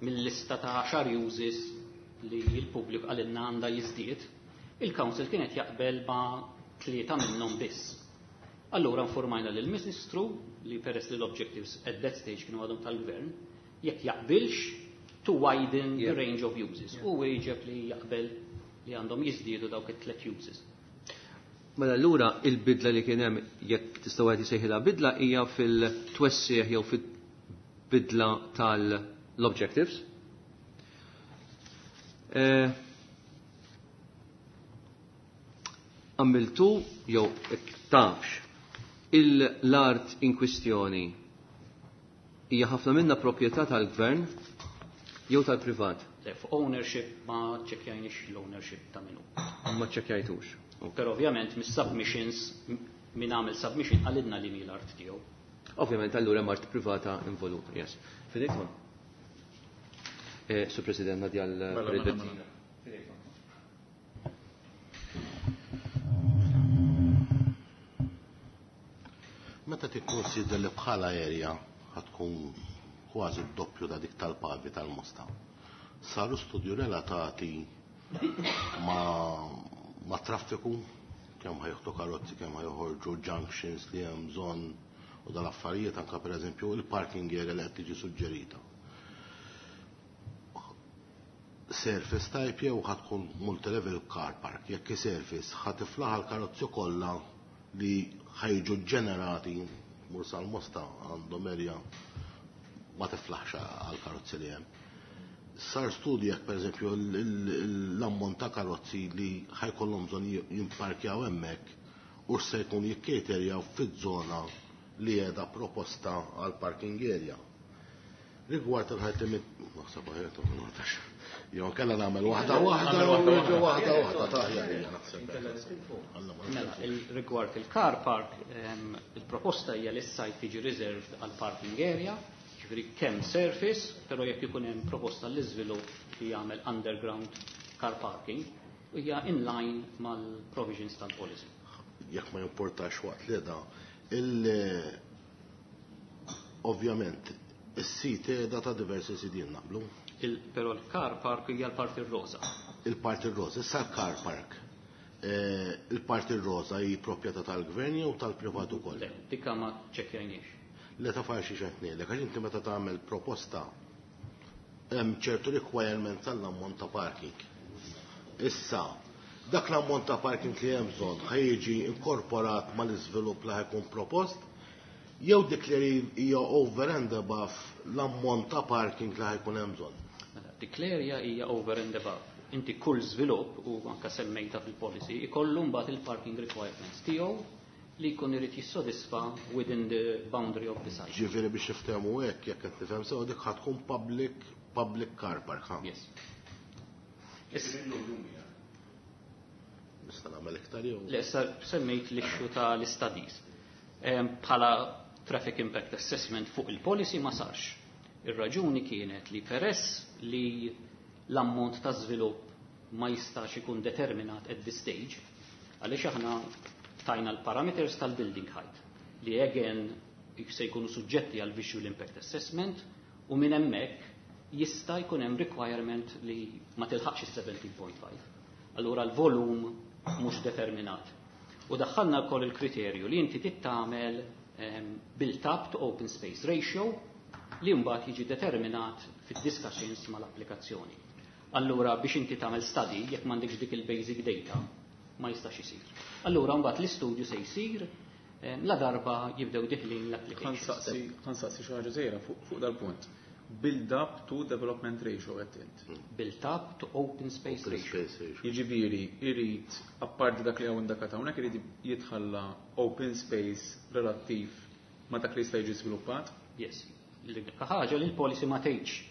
mill-lista ta' 10 uses li l-pubbliku qalilna għandha jiżdied, il-council kienet jaqbel ma' tlieta minnhom biss. Allura informajna lill-Ministru li peress li l-objectives at that stage kienu għadhom tal-gvern, jekk jaqbilx to widen the range of uses. U wieġeb li jaqbel li għandhom jiżdiedu dawk it-tlet uses. Mela allura il-bidla li kien hemm, jekk tista' wieħed isejħilha bidla, hija fil-twessieħ jew fil-bidla tal-objectives. Għamiltu jew tafx l-art in kwistjoni. Hija ħafna minnha proprjetà tal-gvern jew tal-privat? Le, fuq ownership ma ċekjajniex l-ownership ta' minnu. Ma ċekjajtux. Però ovvjament mis-submissions min għamel submission qalilna li mi l-art tiegħu. Ovvjament allura hemm art privata involuta, yes. Fidejk ma? Sur President, ngħaddi għal Mela, mela, mela. Meta tikkonsidra li bħala area ħatkun kważi d-doppju ta' dik tal-Pavi tal-Mosta. Saru studju relatati ma' traffiku, kemm ħajħtu karozzi, kemm ħajħorġu junctions li hemm bżonn u dal-affarijiet anka pereżempju il-parking area li qed tiġi suġġerita. Surface type jew ħatkun multilevel car park, jekk surface ħatiflaħ l-karozzi kollha li ħajġu ġenerati mur sal-Mosta għandhom area ma tiflaħx għal karozzi li hemm. Sar studju jekk pereżempju l-ammont ta' karozzi li ħajkollhom bżonn jimparkjaw hemmhekk u se jkun jikkaterjaw fiż-żona li qiegħda proposta għal parking area. Rigward il-ħajt limit, naħseb aħjar ta' Jew kellha nagħmel waħda waħda u waħda waħda taħjar hija naħseb. Mela, rigward il-car park, il-proposta hija li s-site tiġi reserved għal parking area, ġifieri kemm surface, però jekk ikun hemm proposta l-iżvilupp li jagħmel underground car parking, hija in line mal-provisions tal-policy. Jekk ma jimportax waqt li da, ovvjament is-sit qiegħda ta' diversi sidien naqblu. Però l-car park hija l-parti rosa. Il-parti rosa, issa l-car park. Il-parti rosa hi proprjetà tal-gvern jew tal-privat ukoll? Le, dikka ma ċekkjajniex. Le ta' farxi x'qed ngħidlek, għax inti meta tagħmel proposta hemm ċertu requirement tal-ammont ta' parking. Issa, dak l-ammont ta' parking li hemm bżonn ħa jiġi inkorporat mal-iżvilupp li ħajkun propost, jew dik li hija over and above l-ammont ta' parking li ħajkun hemm bżonn. Mela, dik l-area hija over and above. Inti kull żvilupp, u anka semmejta fil-policy, ikollu mbagħad il-parking requirements tiegħu li jkun irid jissodisfa within the boundary of the site. Ġifieri biex niftehmu hekk, jekk qed nifhem sew, dik ħa tkun public car park, ha? Yes. Nista' nagħmel iktar jew? Le, issa semmejt l-issue tal-studies. Bħala traffic impact assessment fuq il-policy ma sarx. Ir-raġuni kienet li peress li l-ammont ta' żvilupp ma jistax ikun determinat at this stage, għaliex aħna tajna l-parameters tal-building height li again se jkunu suġġetti għal visual impact assessment u minn hemmhekk jista' jkun hemm requirement li ma tilħaqx is-17.5. Allura l-volum mhux determinat. U daħħalna wkoll il-kriterju li inti tittamel built up to open space ratio li mbagħad jiġi determinat fid-discussions mal-applikazzjoni. Allura biex inti tagħmel study jekk m'għandekx dik il-basic data ma jistax isir. Allura mbagħad l-istudju se jsir la darba jibdew diħlin l-applications. Ħansaqsi xi ħaġa żgħira fuq dal-punt. Build up to development ratio qed int. Build up to open space Open ratio. space ratio. Jiġifieri irid apparti dak li hawn indakat hawnhekk irid jitħalla open space relattiv ma' dak li jista' jiġi żviluppat. Yes. L-unika ħaġa li l-policy ma tgħidx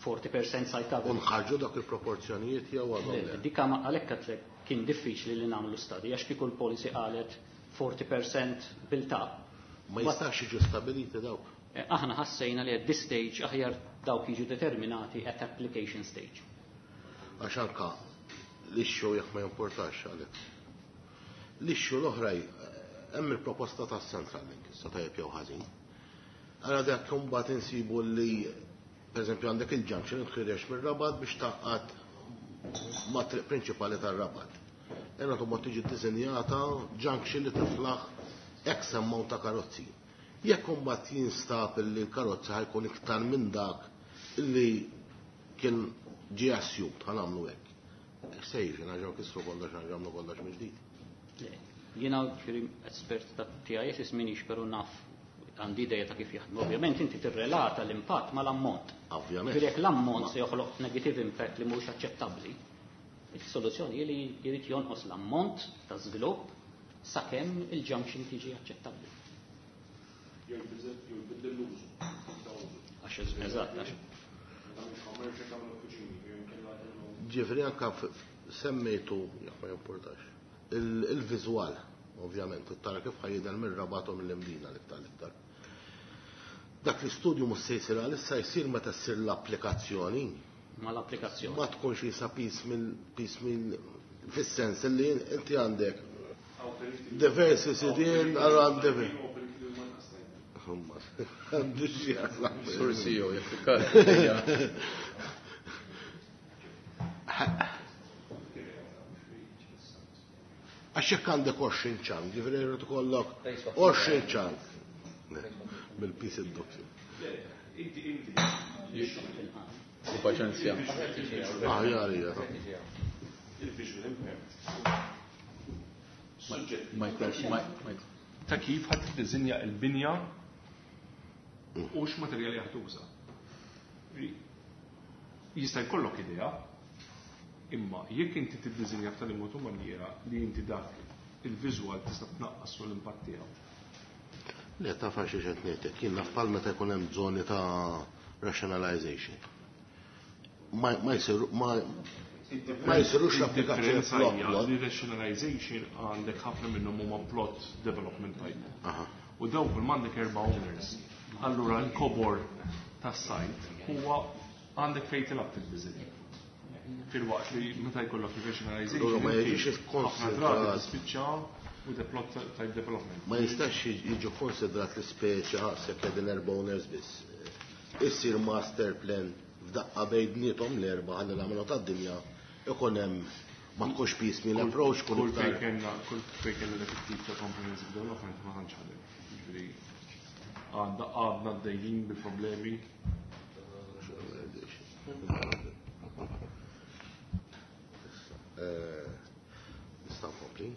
40% site cover. U nħarġu dak il-proporzjonijiet jew għadhom Le, le? dika ma għalhekk għedtlek kien diffiċli li nagħmlu study għax kieku l-policy qalet 40% built up. Ma jistax jiġu stabiliti dawk. Aħna ħassejna li at this stage aħjar dawk jiġu determinati at application stage. Għax anka l-issue jekk ma jimportax għalek. L-issue l-oħra hemm il-proposta ta' Central Link, issa tajjeb jew ħażin. Ara dak imbagħad insibu li pereżempju għandek il-junction tħirex mir-Rabat biex taqqad ma' triq prinċipali tar-Rabat. Ena tumma tiġi ddisinjata junction li tiflaħ X ammont ta' karozzi. Jekk imbagħad jinstab li l-karozza ħajkun iktar minn dak li kien ġie assumed, ħa nagħmlu hekk. Se jiġi nerġgħu kisru kollox, nerġgħu nagħmlu kollox mill-ġdid. Le, jiena ġifieri espert ta' TIS minix, però naf għandi idea ta' kif jaħdmu. Ovvjament inti tirrelata l-impatt mal-ammont. Ovvjament. Ġifieri jekk l-ammont se joħloq negative impact li mhux aċċettabbli, il-soluzzjoni hi li jrid jonqos l-ammont ta' żvilupp sakemm il-junction tiġi aċċettabbli. Jew jbiddel l-użu. Għax eżatt, għax Ġifieri anke semmejtu, jekk ma jimportax, il-viżwal, ovvjament, tara kif ħa jidher mir-Rabat u mill-Imdina l-iktar l-iktar. Dak l-istudju mhux se jsir għalissa, jsir meta ssir l-applikazzjoni. Ma l-applikazzjoni. Ma tkunx jisa piecemeal, piecemeal, fis-sens li inti għandek diversi sidien għal diversi. Għandu x'jaqsam. Sur CEO, jekk Għax jekk għandek 20 chunk, ġifieri jrid ikollok 20 chunk. Bil-pis id-doppju. U paċenzja. Aħjar hija. Il-visual impact. Suġġett Ma jkunx, ma ta' kif ħadd tiddisinja l-binja u x'materjali ħa tuża. Jista' jkollok idea, imma jekk inti tiddisinja f'tali mod u maniera li inti dak il-visual tista' tnaqqas l-impatt tiegħu. Le, taf għax qed ngħidlek, jien naf bħal meta jkun hemm żoni ta' rationalization. Ma jsirux l-applikazzjoni Differenza plot hija plot. li rationalization għandek ħafna minnhom huma plot development type. U dawk kull m'għandek erba' owners. Allura l-kobor tas-site huwa għandek fejn tilgħab fid-design. Filwaqt li meta jkollok rationalization, Allura ma inti jiġix ħafna drabi ikkonsidrat. tispiċċa with a plot type development. Ma jistax jiġu konsidrat l-ispeċi ħasek qegħdin erba' owners biss. Issir master plan f'daqqa bejniethom l-erba' ħalli l-għamlu tad-dinja ikun hemm ma tkunx piecemeal approach kun Kull fejn iktar. kellna dak it-tip ta' comprehensive development ma tantx ħadem. Jiġifieri għadna għaddejjin bi problemi. Nista' nkompli.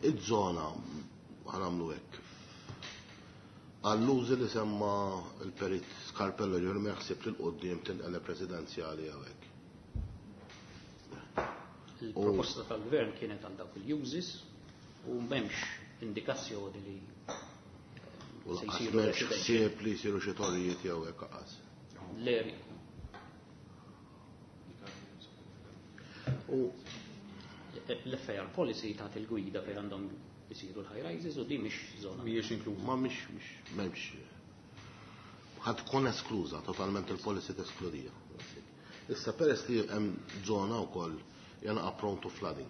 Iż-żona ħa nagħmlu hekk. Għall-użi li semma il-perit Scarpello ġur ma jaħsib li l-qoddim tinqeleb residenzjali hawnhekk. Il-proposta tal-gvern kienet għal dawk il-uses u m'hemmx indikazzjoni li U se lanqas jsiru m'hemmx residential. ħsieb li jsiru xi torrijiet jew hekk qas. L-area. U L-FAR policy tagħti il-gwida fejn għandhom isiru l-high rises u di mhix żona. Mhijiex inkluża. Ma mhix, mhix, m'hemmx. Ħad tkun eskluża, totalment il-policy teskludija. Issa peress li hemm żona wkoll janaqa' prone to flooding.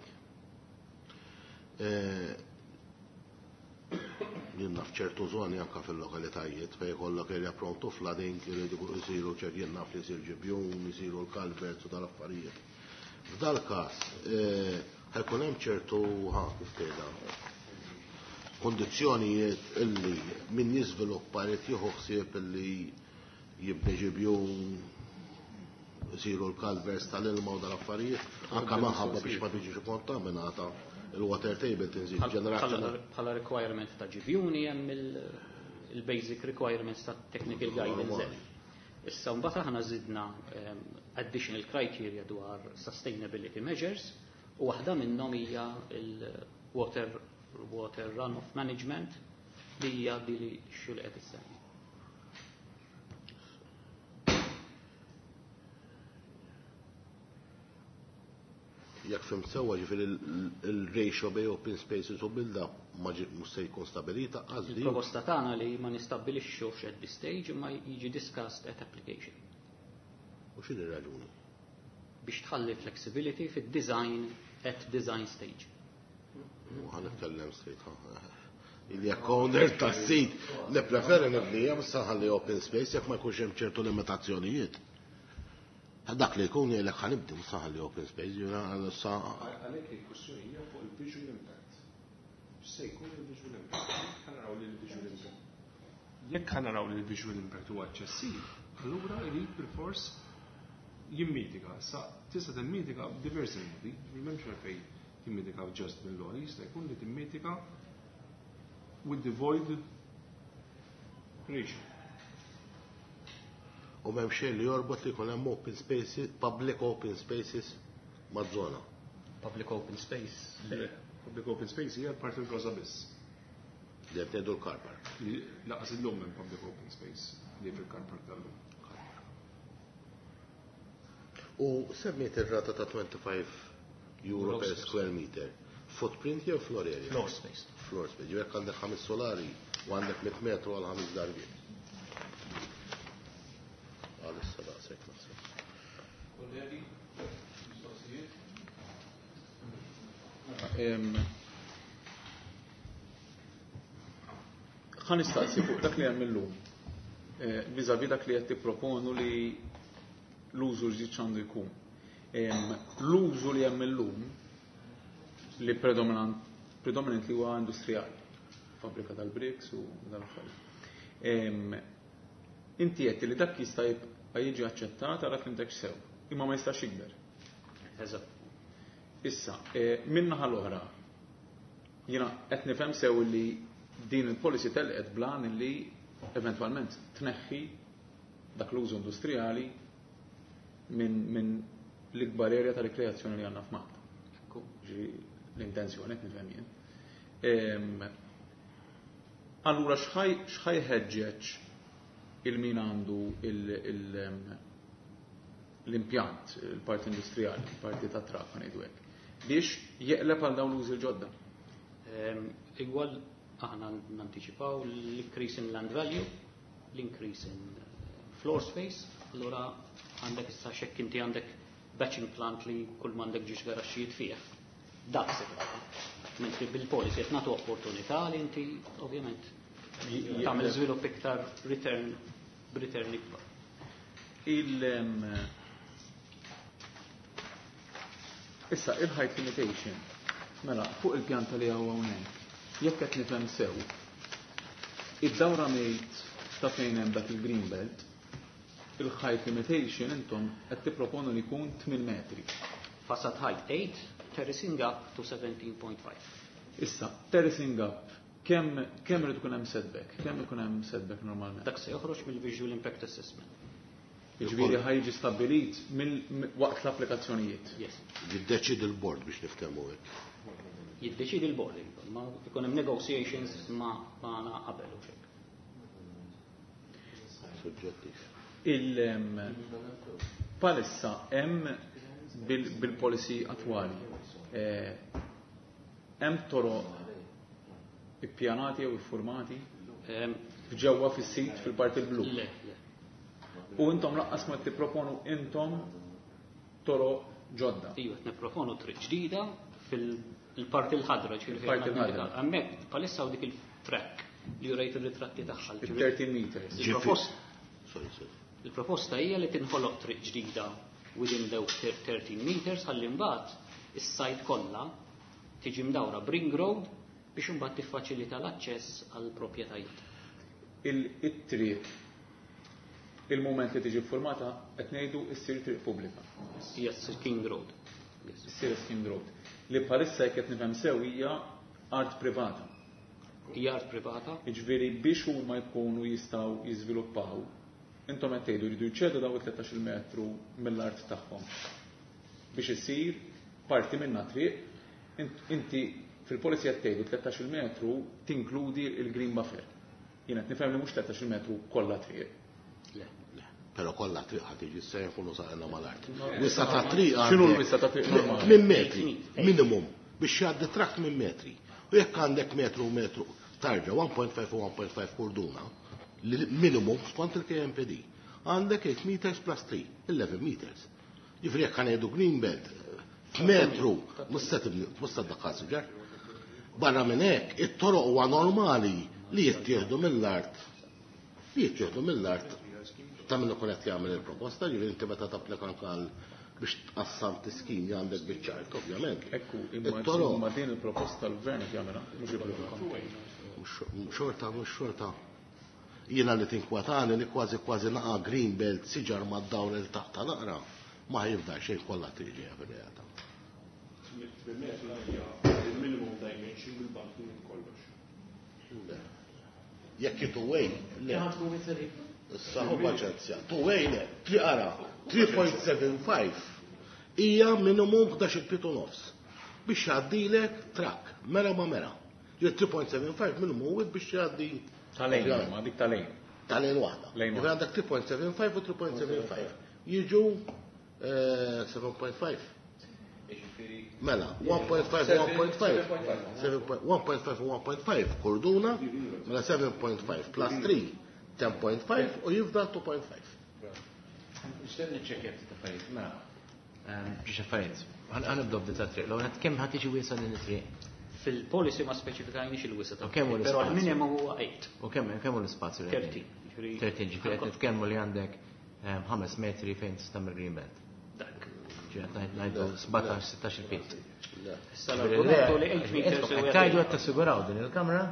Jien naf ċertu żoni anke fil-lokalitajiet fejn jkollok area prone to flooding, iridu jsiru ċert jien naf li jsir ġibjun, jsiru l-culverts u dal-affarijiet. F'dal-każ, ħajkun hemm ċertu, ha, kif tgħidha, kondizzjonijiet illi min jiżviluppa jrid jieħu ħsieb illi jibni ġibjun, jsiru l-culverts tal-ilma u dal-affarijiet, anke minħabba biex ma tiġix kontaminata il-water table tinżid ġenerazzjoni. Bħala requirement ta' ġibjuni hemm il-basic requirements ta' technical guidance. Issa mbagħad aħna żidna additional criteria dwar sustainability measures u waħda minnhom hija il-water water runoff management li hija di li xul qed issemmi. Jekk fim sewwa ġifieri il-ratio bej open spaces u build-up ma mhux se jkun stabilita għażli. Il-proposta tagħna li ma nistabbilixxux at this stage imma jiġi discussed at application. U x'inhi r-raġuni? Biex tħalli flexibility fid-design at design stage. U ħa nitkellem straight, ha. Il jekk owner tas-sit, nippreferi nibnija bissa ħalli open space jekk ma jkunx hemm ċertu limitazzjonijiet. Dak li jkun jgħidlek ħa nibdi mhux ħalli open space, jiena issa Għalhekk il-kwestjoni hija fuq il-visual impact. X'se jkun il-visual impact? Ħa naraw li l-visual impact. Jekk ħa naraw li l-visual impact huwa eċċessiv, allura jrid bilfors jimmitiga. Sa tista' timmitiga b'diversi modi, m'hemmx għalfejn timmitiga just bil-lori, jista' jkun li timmitiga with the void ratio. U m'hemm xejn li jorbot li jkun hemm open spaces, public open spaces maż-żona. Public open space. Le, public open space hija l-parti l-roża biss. Li qed ngħidu l-car park. Li lanqas illum hemm public open space li fil-car park tal-lum. U semmiet ir-rata ta' €25 per square meter. Footprint jew floor area? Floor space. Floor space. Jekk għandek 5 solari u għandek 100 metru għal 5 darbiet. Għalissa daqshekk naħseb. Kollegi, mistoqsijiet? Ħa nistaqsi fuq dak li hemm illum. Vis-à-vis dak li qed tipproponu li l-użu ġdid x'għandu jkun. L-użu li hemm illum li predominantly huwa industrijali, fabbrika tal-bricks u dal-affarijiet. Inti qed li dak jista' jibqa' jiġi aċċettat għal fimtek sew, imma ma jistax jikber. Eżatt. Issa, min-naħa l-oħra, jiena qed nifhem sew li din il-policy telqet blan li eventwalment tneħħi dak l-użu industrijali minn l-ikbar area ta' rikreazzjoni li għandna f'Malta. Ġifieri l-intenzjoni qed nifhem jien. Allura x'ħaj ħeġġeġ il-min għandu l-impjant, il-parti industrijali, il-parti ta' traf, ngħidu hekk, biex jeqleb għal dawn l-użi l-ġodda? Igwal aħna nantiċipaw l-increase in land value, l-increase in floor space, allura għandek issa xekk inti għandek batching plant li kull m'għandek ġiex garaxxijiet fih. Dak se tibqa'. Mentri bil-policy qed nagħtu opportunità li inti ovvjament tagħmel żvilupp iktar return b'return ikbar. Issa il-height limitation, mela fuq il-pjanta li hawn hawnhekk, jekk qed nifhem sew, id-dawra mejt ta' fejn hemm dak il-green belt, il-height limitation intom qed tipproponu li jkun 8 metri. Facade height 8, terracing up to 17.5. Issa, terracing up, kemm irid ikun hemm setback? Kemm ikun hemm setback normalment? Dak se joħroġ mill-visual impact assessment. Jiġifieri ħa jiġi stabbilit waqt l-applikazzjonijiet. Yes. Jiddeċidi l-board biex niftehmu hekk. Jiddeċidi l-board, ma ikun hemm negotiations magħna qabel u xejn. Suġġettiv. Palissa hemm bil-policy attwali. Hemm toroq ippjanati jew iffurmati ġewwa fis-sit fil-parti l-blu. Le, le. U intom laqqas ma tipproponu intom toroq ġodda. Iva, qed nipproponu triq ġdida fil-parti l-ħadra, ġifieri Il-parti fejn l-ħadra. Hemmhekk bħalissa hawn dik il-track li rejt ir-ritratti tagħha. Il-13 meters. Sorry, sorry. Il-proposta hija li tinħoloq triq ġdida within the 13 meters ħalli mbagħad is-sajt kollha tiġi mdawra b'ring road biex imbagħad tiffaċilita l-aċċess għall proprjetajiet. Il-triq il-moment li tiġi formata qed ngħidu ssir triq pubblika. Yes, King Road. Yes. Issir King Road. Li bħalissa jekk qed nifhem sew hija art privata. Hija art privata. Jiġifieri biex huma jkunu jistgħu jiżviluppaw, intom qed tgħidu jridu jċedu daw it-13 metru mill-art tagħhom biex isir parti minnha triq. Inti fil-policy qed tgħidu 13 metru tinkludi il-green buffer. Jien qed nifhem li mhux 13 metru kollha triq. Le. Però kollha triq ħad tiġi se jkunu saqna mal-art. Wisa ta' triq X'inhu għandek l-wisa ta' triq normali? Minn metri, minimum, biex jgħaddi trakt minn metri. U jekk għandek metru u metru, tarġa 1.5 u 1.5 korduna, li minimum skont il-KMPD. Għandek 8 meters plus 3, 11 meters. Ġifieri jekk ħanejdu green belt, f'metru, mhux se tibni, mhux se ddaħħal siġar. Barra minn hekk, it-toroq huwa normali li jittieħdu mill-art. Li jittieħdu mill-art ta' min ikun qed jagħmel il-proposta, ġifieri inti meta tapplika anke għal biex tqassam tiskin li għandek biċ-ċart, ovvjament. Ekku, imma It-toroq. imma din il-proposta l-gvern qed jagħmilha, mhux il-proposta. Mhux xorta, mhux xorta. Jiena li tinkwatani li kważi kważi naqa' green belt siġar mad-dawl il taħta naqra, ma jibda xejn kollha tiġi fir-realtà. Bil-metru hija il-minimum dimension bil-bank minn kollox. Jekk two way, le. Issa hu paċenzja. Two way le, tri ara, 3.75 hija minimum 11 pied u nofs. Biex jgħaddilek trakk, mera ma mera. Ġifieri 3.75 minn mhuwiex biex jgħaddi Ta' lane, ma dik ta' lane. Ta' lane waħda. Lane Ġifieri għandek 3.75 u 3.75. Jiġu 7.5. Mela, 1.5 u 1.5. 1.5 u 1.5 korduna, mela 7.5 plus 3, 10.5 u jifdal 2.5. Nixtieq niċċekkja ftit affarijiet. Mela, biex affarijiet. Ħa nibdew b'din tat-triq. L-ewwel kemm ħa tiġi wiesgħa din it-triq? Fil-policy ma speċifikajniex il-wisa ta' U kemm hu però l-ispazju? l-minimum huwa 8. U kemm hu l-ispazju li 13. Ġifieri- 13, ġifieri qed nitkellmu li għandek 5 metri fejn tista' tagħmel green belt. Dak. Ġifieri qed ngħidu 17-16 feet. Issa l-argumentu li 8 meters huwa Tajdu qed tassiguraw din il-kamra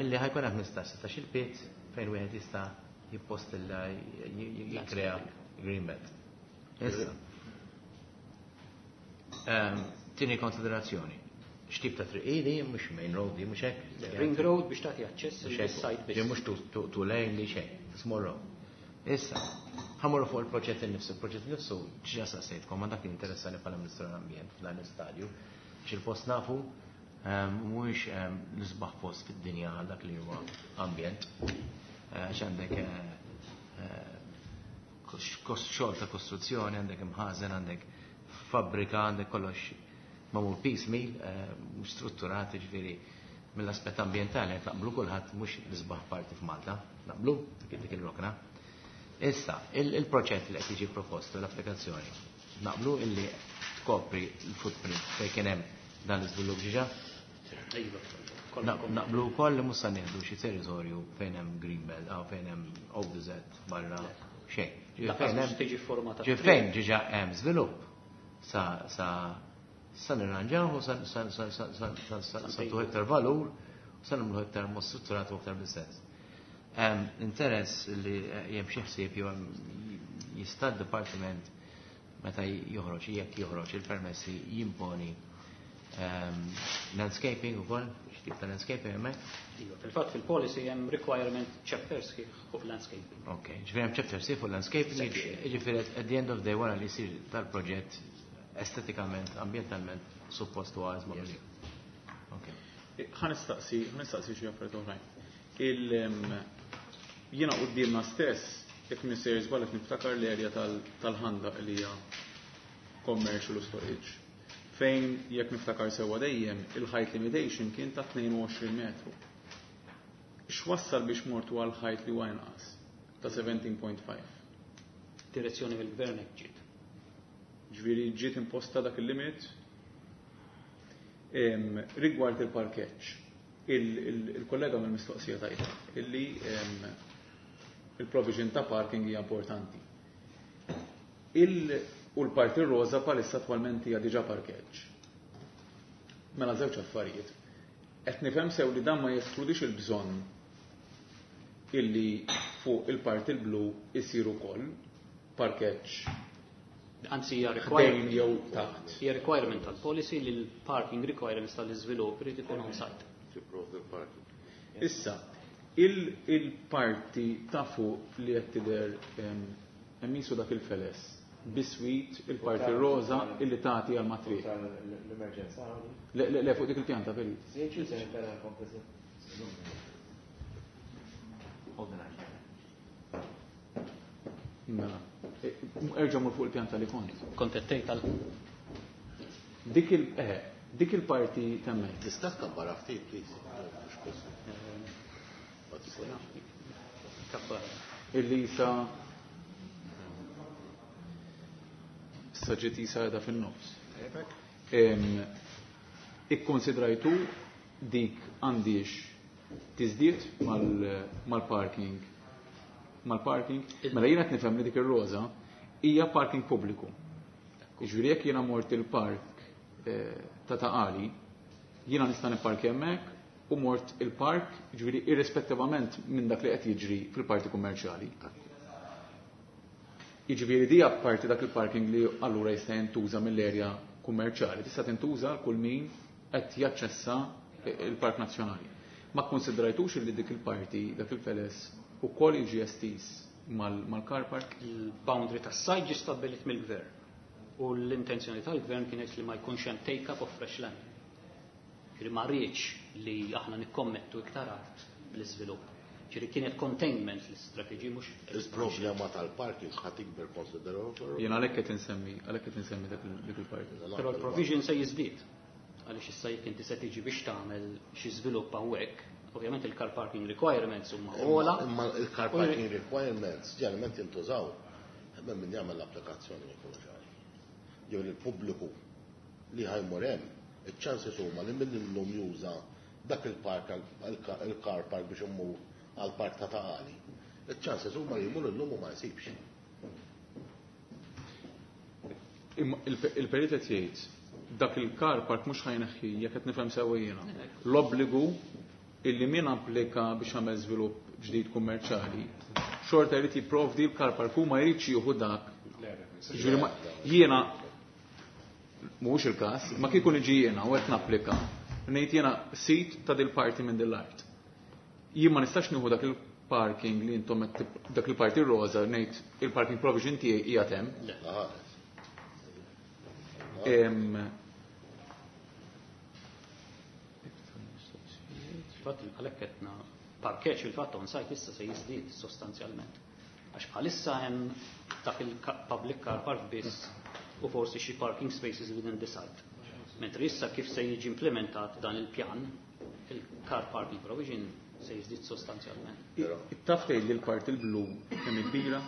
illi ħa jkun hemm 15-16 feet fejn wieħed jista' jippostilla, jikkrea green belt. Issa. Tieni konsiderazzjoni. X'tip ta' triq ili, mhux main road, di mhux hekk. Ring road biex tagħti aċċess Mhux hekk. lis-site Di biss. mhux two lane li xejn, small road. Issa, ħa mmorru fuq il-proġett innifsu, il-proġett innifsu ġa saqsejtkom, ma dak li interessani bħala Ministru tal-Ambjent f'dan l-istadju, biex il-post nafu mhuwiex l-isbaħ post fid-dinja għal dak li huwa ambjent. Għax għandek xogħol ta' kostruzzjoni, għandek imħażen, għandek fabbrika, għandek kollox magħmul piecemeal, mhux strutturat, ġifieri mill-aspett ambjentali qed naqblu kulħadd mhux l-isbaħ parti f'Malta, naqblu dik il-rokna. Issa, il-proġett li qed jiġi proposto, l-applikazzjoni, naqblu illi tkopri l-footprint fejn kien hemm dan l-iżvilupp ġiġa? Iva, kollha Naqblu wkoll li mhux se nieħdu xi territorju fejn hemm green belt aw fejn hemm ODZ barra xejn. Ġifieri Lanqas fejn mhux hemm tiġi formata ġifieri fejn ġiġa hemm żvilupp sa nirranġaw u sa ntuh iktar valur u sa nagħmluh iktar mod strutturat u iktar bis-sens. Interess li hemm xi ħsieb jew jista' d-dipartiment meta joħroġ, jekk joħroġ il-permessi, jimponi landscaping ukoll, x'tip ta' landscaping hemmhekk? Iva, fil-fatt fil-policy hemm requirement chapter sħiħ fuq landscaping. Ok, ġifieri hemm chapter sħiħ fuq landscaping, ġifieri at the end of the day wara li jsir tal-proġett estetikament, ambientalment, suppost huwa għażma. Ok. Ħa nistaqsi xi affarijiet oħrajn. Jiena quddiemna stess, jekk m'iniex sejjer żball, qed niftakar l-erja tal-ħandaq li hija commercial u storage. Fejn jekk niftakar sewwa dejjem il-height limitation kien ta' 22 metru. X'wassal biex mortu għal height li huwa inqas ta' 17.5? Direzzjoni mill-gvern hekk ġiet. Ġifieri ġiet imposta dak il-limit. Rigward il-parkeġġ, il-kollega mill-mistoqsija tajba illi il-provision ta' parking hija importanti. U l-parti roza palissa attwalment hija diġà parkeġġ. Mela żewġ affarijiet. Qed nifhem sew li dan ma jeskludix il-bżonn illi fuq il-parti l-blu isir ukoll parkeġġ Anzi hija ħdejn requirement jew taħt. Hija requirement tal-policy li l-parking requirements tal-iżvilupp irid ikun on-site. Tipprovdi l-parking. Issa, il-parti ta' fuq li qed tidher hemm jisu dak il-feles biswit il-parti roza illi tagħti għal matriq. L-emerġenza. Le, le, le, fuq dik il-pjanta perit. Hold on. Mela. Erġa' mur fuq il-pjanta li kont. Kont qed tgħid għal Dik il-parti temmek. Tista' tkabbar ftit, please. Mhux possibbli. Ma tistax. Kabbar. Illi sa ġiet isa qiegħda fin-nofs. Ikkonsidrajtu dik għandix tiżdied mal-parking? Mela jiena qed nifhem li dik ir-roża hija parking pubbliku. Jiġifieri jekk jiena mort il-park ta' Ta' Qali, jiena nista' nipparki hemmhekk u mort il-park, jiġifieri irrispettivament minn dak li qed jiġri fil-parti kummerċjali. Jiġifieri di apparti dak il-parking li allura jista' jintuża mill-erja kummerċjali, tista' tintuża għal kull min qed jaċċessa il-Park Nazzjonali. Ma konsidrajtux li dik il-parti, dak il-feles, ukoll jiġi estiż mal-car park? Il-boundary tas-site ġi stabbilit mill-gvern. U l-intenzjoni tal-gvern kienet li ma jkunx hemm take-up of fresh land. Ġifieri ma rridx li aħna nikkommettu iktar art bl-iżvilupp. Ġifieri kienet containment l-istrateġi mhux. Il-problema tal-parking ħa tikber konsiderevoli. Jien għalhekk qed insemmi, għalhekk qed insemmi dik il-parti. Però l-provision se jiżdied. Għaliex issa jekk inti se tiġi biex tagħmel xi żvilupp hawnhekk, ovvjament il-car parking requirements huma ogħla. Imma il-car parking requirements ġeneralment jintużaw hemm min jagħmel l-applikazzjoni jkunu ċari. Jew il-pubbliku li ħa jmur hemm, iċ-chances huma li min illum juża dak il-park il-car park biex imur għal-park ta' Taqali. Iċ-chances huma li jmur illum u ma jsibx. Imma il-perit qed jgħid dak il-car park mhux ħa jneħħi jekk qed nifhem sewwa jiena. L-obbligu illi min applika biex jagħmel żvilupp ġdid kummerċjali, xorta jrid jipprovdi l-car park u ma jridx jieħu dak. Ġifieri jiena mhuwiex il-każ, ma kieku niġi jiena u qed napplika, ngħid jiena sit ta' dil parti minn dil-art. Jien ma nistax nieħu dak il-parking li intom dak il-parti rosa ngħid il-parking provision tiegħi qiegħed hemm. Fatt għalhekk qedna parkeġġ il-fatt on site issa se jiżdied sostanzjalment. Għax bħalissa hemm dak il-public car park biss u forsi xi parking spaces within the site. Mentri issa kif se jiġi implementat dan il-pjan, il-car parking provision se jiżdied sostanzjalment. Taf tgħid li l-parti l-blu kemm kbira?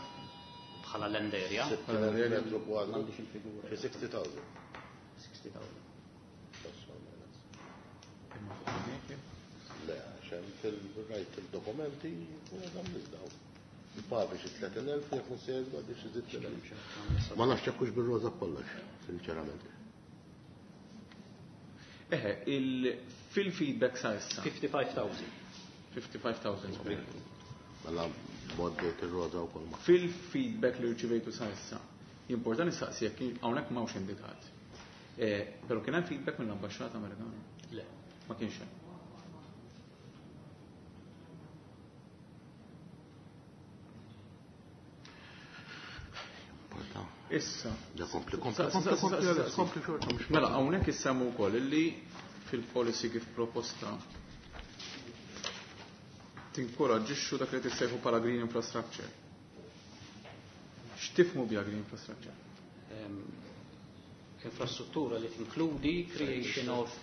Bħala land area. Metru kwadru. M'għandix il-figura. Xi 60,000. 60,000. Le, għaxem fil-rajt il-dokumenti, u għadam nizdaw. Il-pavi xi 30,000, jekk nsejdu għaddi xi 60,000. Ma nafx hekk hux bir-roża kollox, sinċerament. Eħe, fil-feedback sa issa. 55,000. 55,000. Mela boddejt ir-roża wkoll ma. Fil-feedback li rċivejtu sa issa, jimporta nistaqsi jekk hawnhekk m'hawnx indikat. Però kien hemm feedback mill-Ambaxxata Amerikana? Le. Ma kienx hemm. Issa. Ja, kompli, kompli, kompli, kompli, kompli, xorta, mhux Mela, hawnhekk issemmu wkoll illi fil-policy kif proposta tinkoraġġixxu dak li tissejħu bħala green infrastructure. X'tifhmu biha green infrastructure? Infrastruttura li tinkludi creation of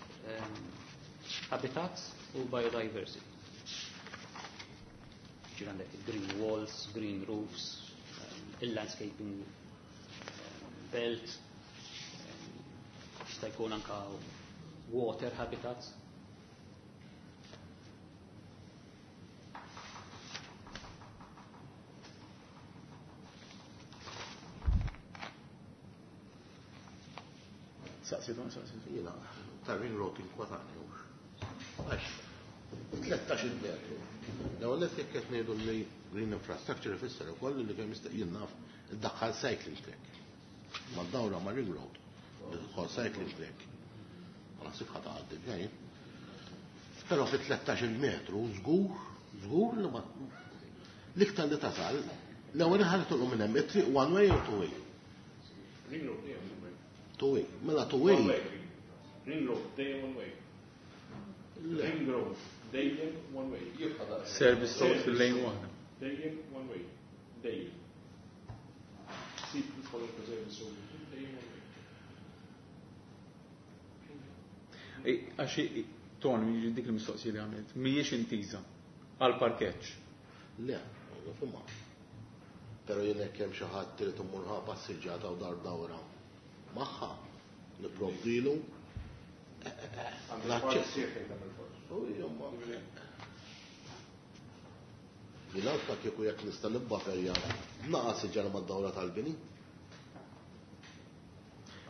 habitats u biodiversity. Ġifieri għandek green walls, green roofs, il-landscaping belt, jista' jkun anka water habitats. Saqsitu, saqsitu. Jiena, ta' ring road inkwatani hux. Għax, 13 metru. L-ewwel nett jekk qed ngħidu li green infrastructure ifisser ukoll li kemm jista' jien naf iddaħħal cycling track. Ma dawra ma' ring road, iddaħħal cycling track. Ma naħsibx ħa tgħaddi bejn. Però fi 13 metru żgur, żgur li ma l-iktar li tasal, l-ewwel ħaġa tolqu minn hemm it-triq one way or two way. Ring road dejjem one way. Two way. Mela two way. One way. Ring road dejjem one way. Ring road dejjem one way. Service road fil-lane waħda. Dejjem one way. Dejjem. Sib kwalunkwe service road dejjem one way. Ej, għax Tony, jiġi dik il-mistoqsija li għamilt, mhijiex intiża għal parkeġġ. Le, nifhimha. Però jien hekk hemm xi ħadd trid immur ħa passiġġata u dar dawra magħha, nipprovdilu l-aċċess. U jomma. Jien anke kieku jekk nista' nibbaferja naqas iġara mad-dawra tal-bini.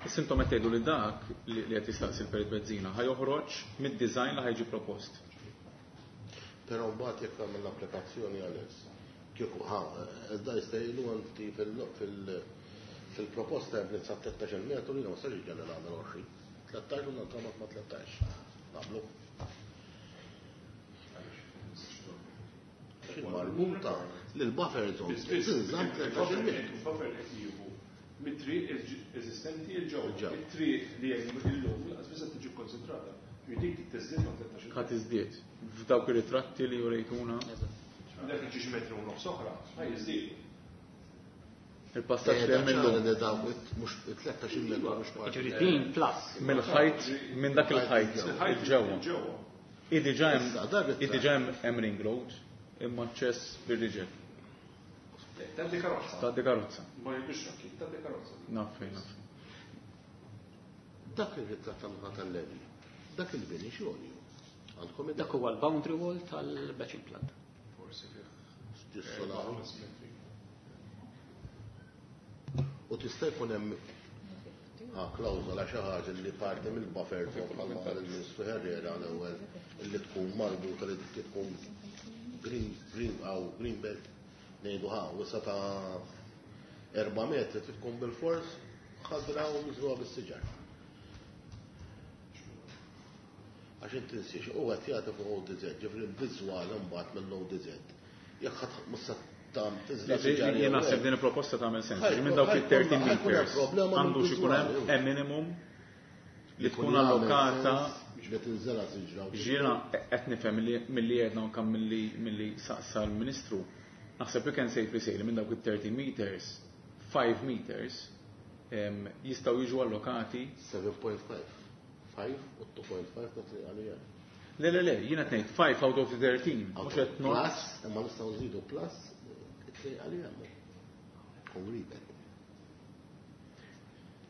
Is-sintom qed tgħidu li dak li qed jistaqsi l-Perit Bezzina ħa joħroġ mid-design li ħa jiġi propost. Però mbagħad jekk tagħmel l-applikazzjoni għal kieku ħa, iżda jista' jgħidu inti fil-proposta hemm sa 13 metru li ma nistax iġġelli nagħmel 20. 13 u nantramat ma' 13. Naqblu. Marbuta lil buffer zone. Biss, biss, Tinżamm 13 metru. Il-buffer qed jieħu Mit-triq eżistenti 'l ġewwa. It-triq li hemm illum lanqas biss qed tiġi kkonsidrata. Ġifieri dik trid tiżdied ma' 13 Ħa tiżdied f'dawk ir-ritratti li urejtuna. Dak jiġi xi metru u nofs oħra, ħa jiżdiedu. Il-passaġġ li hemm illum. Dawk mhux 13 metru mhux parti. Jiġifieri din plus. Mill-ħajt, minn dak il-ħajt Il-ħajt il-ġewwa. ġewwa. Diġà hemm Issa, dak it- diġà hemm ring road imma aċċess bir-riġel. Tgħaddi karozza. Tgħaddi karozza. Ma jibux trakki, tgħaddi karozza. Naf fejn, naf fejn. Dak ir-ritratt tan-naħa tal-Levi. Dak il-bini xogħol. Għandkom id Dak huwa l-boundary wall tal-batching plant. Forsi fih. Ġissola. 5 metri. U tista' jkun hemm klawżola xi ħaġa li parti mill-buffer zone bħalma qal il-Ministru Herrera l-ewwel li tkun marbuta li tkun green aw green belt ngħidu ħa wisa ta' 4 metri trid tkun bil-fors ħadra u miżruha bis-siġar. Għax inti tinsiex u qed jagħti fuq ODZ, ġifieri l-viżwal imbagħad mill-ODZ. Jekk ħadd mhux se tam tiżra' siġar Jien jew naħseb hekk. din il-proposta tagħmel sens. Ħajkun- Minn dawk il-13 ħajkun hemm meters problema għandu xi jkun hemm mill-viżwali. a minimum li tkun Jkun jagħmel allokata sens li tinżela siġra u Ġiena qed nifhem milli għedna anke milli saqsa l-Ministru. Naħseb we can safely say li minn dawk it-13 meters, 5 meters jistgħu jiġu allokati 7.5. 5 u 2.5 ta' triq għalija. Le, le, le, jiena qed ngħid 5 out of the 13, mhux qed not. Plus, imma nistgħu nżidu plus it-triq għalija. U ribet.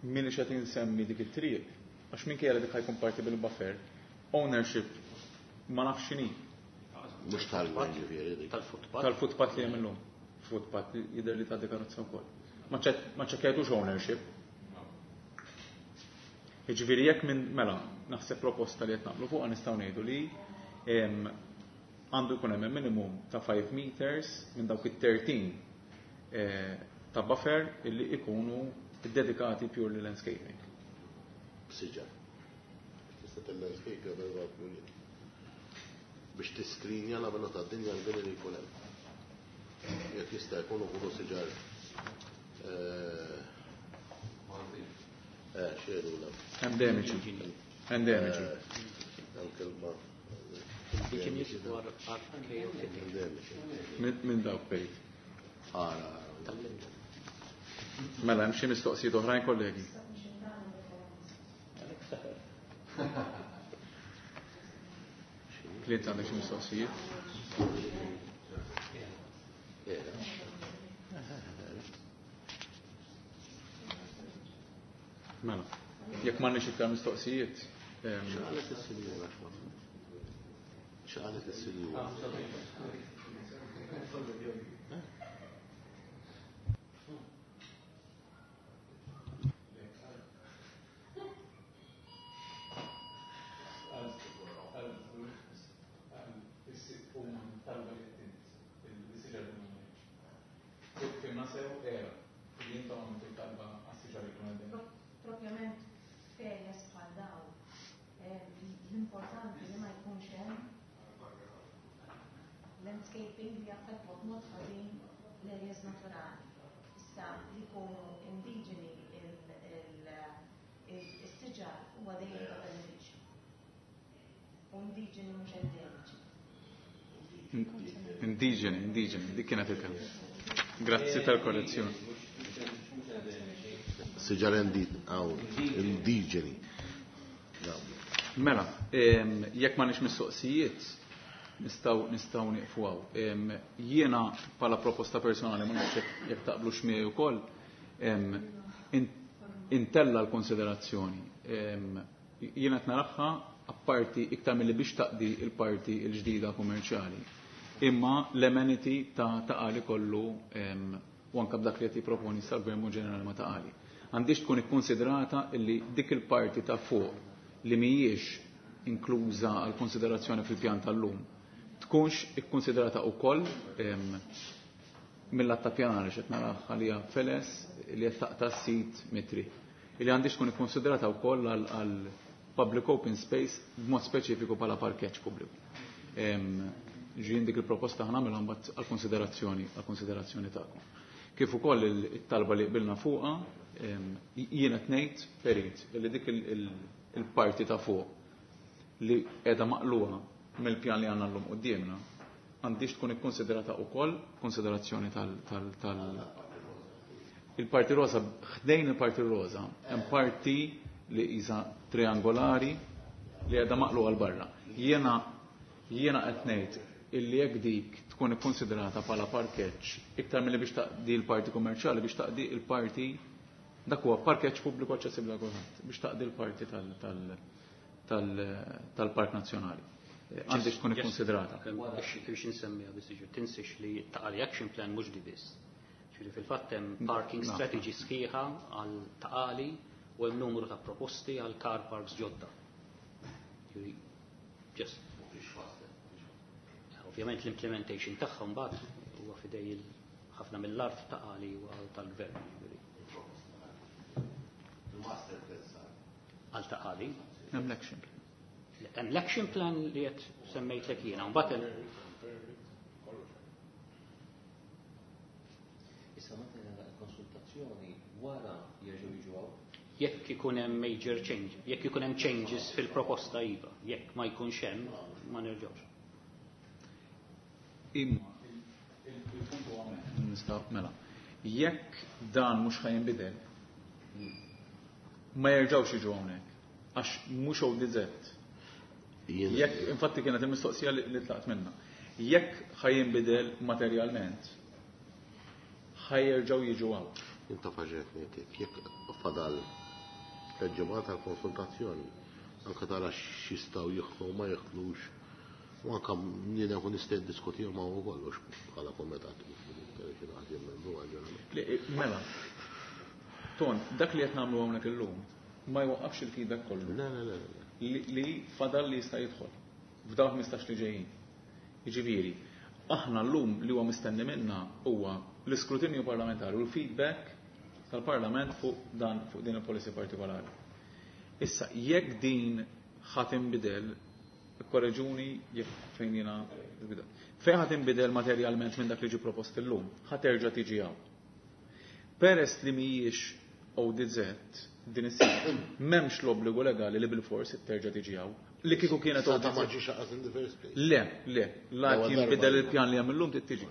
Min qed insemmi dik it-triq, għax minkejja li dik ħajkun parti bil-buffer, ownership ma nafx x'inhi. Mhux tal-gvern ġifieri dik. Tal-footpath. Tal-footpath li hemm illum. Footpath jidher li tgħaddi karozza wkoll. Ma ċekkjajtux ownership. Jiġifieri jekk minn mela naħseb proposta li qed naqblu fuqha nistgħu ngħidu li għandu jkun hemm minimum ta' 5 meters minn dawk it-13 ta' buffer illi ikunu dedikati purely landscaping. Siġar. Tista' til-landscape jew biex tiskrinja la mela tad-dinja l-bini li jkun hemm. Jekk jista' jkun ukoll siġar xejn la. Endemiċi. Endemiċi. Anke l-ma. Indigenous or archaeophytic. Endemiċi. Minn dawk bejt. Ara. Tal-Linda. Mela, hemm xi mistoqsijiet oħrajn kollegi? Clint għandek xi mistoqsijiet? Era. Mela, jekk m'għandniex iktar mistoqsijiet, X'qalet is-sinjura x'ma? X'qalet is-sinjura? Propjament f'areas bħal dawn, l-importanti li ma jkunx hemm landscaping li jaffettwa b'mod ħażin l-areas naturali. Issa li jkunu indiġeni is-siġar huwa dejjem ta' benefiċċju. U indiġeni mhux endemiċi. Indiġeni, indiġeni, dik kienet il-kelma. Grazzi tal-korrezzjoni. Siġar indiġeni. Mela, jekk m'għandniex mistoqsijiet, nistgħu nieqfu hawn. Jiena bħala proposta personali ma nafx jekk taqblux miegħi wkoll, intella l-konsiderazzjoni. Jiena qed naraha apparti iktar milli biex taqdi il-parti l-ġdida kummerċjali. Imma l-amenity ta' Ta' Qali kollu u anke b'dak li qed jipproponi sal-gvern ġenerali ma' Ta' Qali. Għandix tkun ikkonsidrata illi dik il-parti ta' fuq li mhijiex inkluża għal konsiderazzjoni fil-pjan tal-lum tkunx ikkonsidrata wkoll mill-att ta' pjanar x'qed nara għalija feles li qed taqta' sit mitri. Illi għandix tkun ikkonsidrata wkoll għal public open space b'mod speċifiku bħala parkeġġ pubbliku. Ġien dik il-proposta ħa nagħmilha mbagħad għall-konsiderazzjoni tagħkom. Kif ukoll it-talba li qbilna fuqha Jien qed ngħid perit li dik il-parti ta' fuq li qiegħda maqluha mill-pjan li għandna llum quddiemna għandix tkun ikkonsiderata wkoll konsiderazzjoni tal il-parti rosa, ħdejn il-parti rosa, hemm parti li qisha triangolari li qiegħda maqluha 'l barra. Jiena qed ngħid illi jekk dik tkun ikkonsiderata bħala parkeġġ iktar milli biex taqdi l-parti kummerċjali, biex taqdi l-parti, dak huwa parkeġġ pubbliku aċċessibbli għal kulħadd, biex taqdi l-parti tal-Park Nazzjonali. Għandix tkun ikkonsidrata. Biex insemmiha biss, jiġifieri tinsiex li Ta' Qali Action Plan mhux di biss. Ġifieri fil-fatt hemm parking strategy sħiħa għal Ta' Qali u hemm numru ta' proposti għal car parks ġodda. Ġifieri just ovvjament l-implementation tagħha mbagħad huwa fidej ħafna mill-art Ta' Qali huwa tal-gvern. Il-master plan sar. Għal Ta' Qali. Hemm l-action plan. Hemm l-action plan li qed semmejtlek jiena, mbagħad hemm Issa meta nagħlaq il-konsultazzjoni wara jerġgħu jiġu hawn? Jekk ikun hemm major change, jekk ikun hemm changes fil-proposta iva, jekk ma jkunx hemm, ma nerġgħux. Imma il-punt huwa nista' mela. Jekk dan mhux ħa jinbidel, ma jerġgħux jiġu hawnhekk għax mhux ODZ. Jekk infatti kienet il-mistoqsija li tlaqt minna. Jekk ħa jinbidel materjalment, ħa jerġgħu jiġu hawn. Inta faġet ngħidlek, jekk fadal ġimgħa tal-konsultazzjoni, anke tara x'jistgħu jieħdu u ma jieħdux, u anke jiena nkun nista' niddiskuti ma' u kollox bħala komitat. Mela, Ton, dak li qed nagħmlu hawnhekk illum ma jwaqqafx il-feedback kollu. Le, le, le, le. Li fadal li jista' jidħol f'dawk 15 li ġejjin. Jiġifieri, aħna llum li huwa mistenni minna huwa l-iskrutinju parlamentari u l-feedback tal-Parlament fuq dan, fuq din il-policy partikolari. Issa, jekk din ħa tinbidel, korreġuni jekk fejn jiena nbidel. Fejn ħa tinbidel materjalment minn dak li ġie propost illum, ħa terġa' tiġi hawn. Peress li mhijiex ODZ din is-sena, m'hemmx l-obbligu legali li bil-fors terġa' tiġi hawn. Li kieku kienet Sa ta' ODZ. ma ġiex aqas in the first place. Le, le, la L-ewwel jinbidel darba. il-pjan li hemm illum trid tiġi.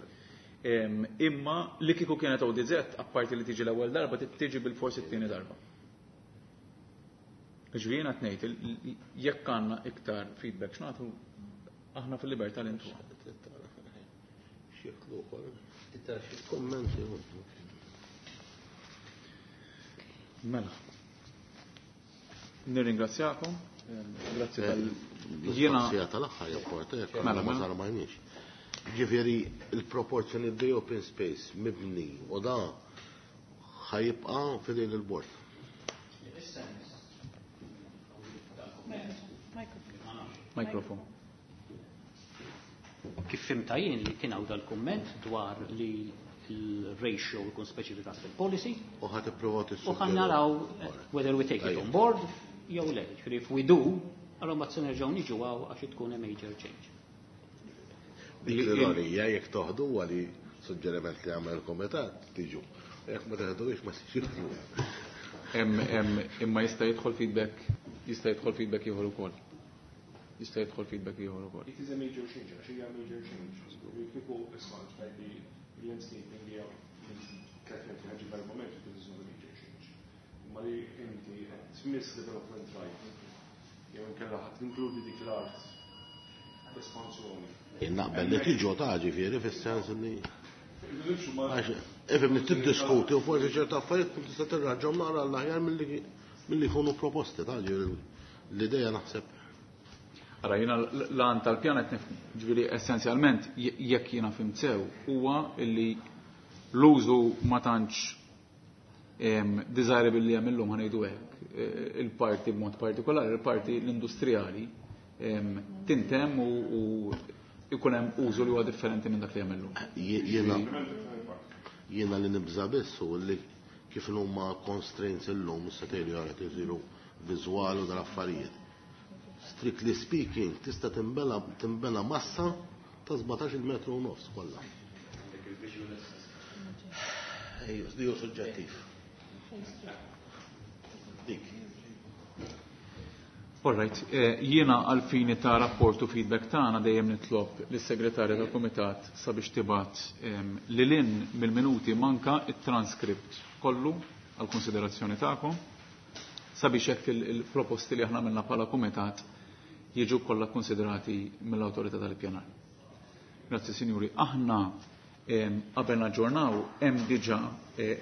Imma li kieku kienet ODZ, apparti li tiġi l-ewwel darba, trid tiġi bil-fors it-tieni darba. Ġifieri jiena qed ngħid, jekk għandna iktar feedback x'nagħtu, aħna fil-libertà li ntuha. X'jeklu wkoll. Kummenti. Mela. Nirringrazzjakom. Grazzi tal jiena Jiena tal-aħħar japporta jekk Mela, ma mela. sarmajniex. Ġifieri il-proporzjoni di open space mibni u da ħa jibqa' f'idejn il-bord. Mikrofon. Kif fhimtha jien li kien hawn dal-kumment dwar li il-ratio jkun speċifikat fil-policy. U ħa tipprova U ħa naraw whether we take it on board jew le. Ġifieri if we do, allora mbagħad se nerġgħu niġu hawn għax tkun a major change. Dik l-ironija jekk toħdu għali suġġeriment li għamel il-komitat tiġu. Jekk ma teħduhiex ma tiġu. Imma jista' jidħol feedback, jista' jidħol feedback ieħor ukoll. Jista' jidħol feedback ieħor ukoll. It is a major change, għax hija major change. Kieku isma' tgħid li landscaping hija 3 metri ħaġi b'erba' metri, this is not a major change. Imma li inti qed tmiss development right, jew inkella ħadd tinkludi dik l-art espansjoni. Jien naqbel li tiġu ta' ġifieri fis-sens li Nimxu ma' għax ifhem li tiddiskuti u forsi ċerta affarijiet tkun tista' tirraġġhom naqra l-aħjar milli jkunu proposti ta' ġifieri l-idea naħseb. Ara, jiena l-għan tal-pjan qed nifhmu. Ġifieri essenzjalment jekk jiena fhimt sew huwa illi l-użu ma tantx desirable li hemm illum ħa ngħidu hekk, il-parti b'mod partikolari, il-parti l-industrijali tintemm u ikun hemm użu li huwa differenti minn dak li hemm illum. Jiena li nibża biss u li kif huma constraints illum issa tgħidu jara isiru viżwali u dal-affarijiet. Strictly speaking, tista' timbena massa ta' 17 metru u nofs kollha. Ejju, hu suġġettiv. Phase 2. Dik. All right, jiena għal-fini ta' rapport u feedback tagħna dejjem nitlob lis-segretarja tal-Kumitat sabiex tibgħat lil hinn mill-minuti manka it-transkript kollu għal konsiderazzjoni tagħkom sabiex hekk il-proposti li aħna għamilna bħala kumitat jiġu kollha konsiderati mill-awtorità tal-ippjanar. Grazzi sinjuri, aħna qabel naġġornaw hemm diġà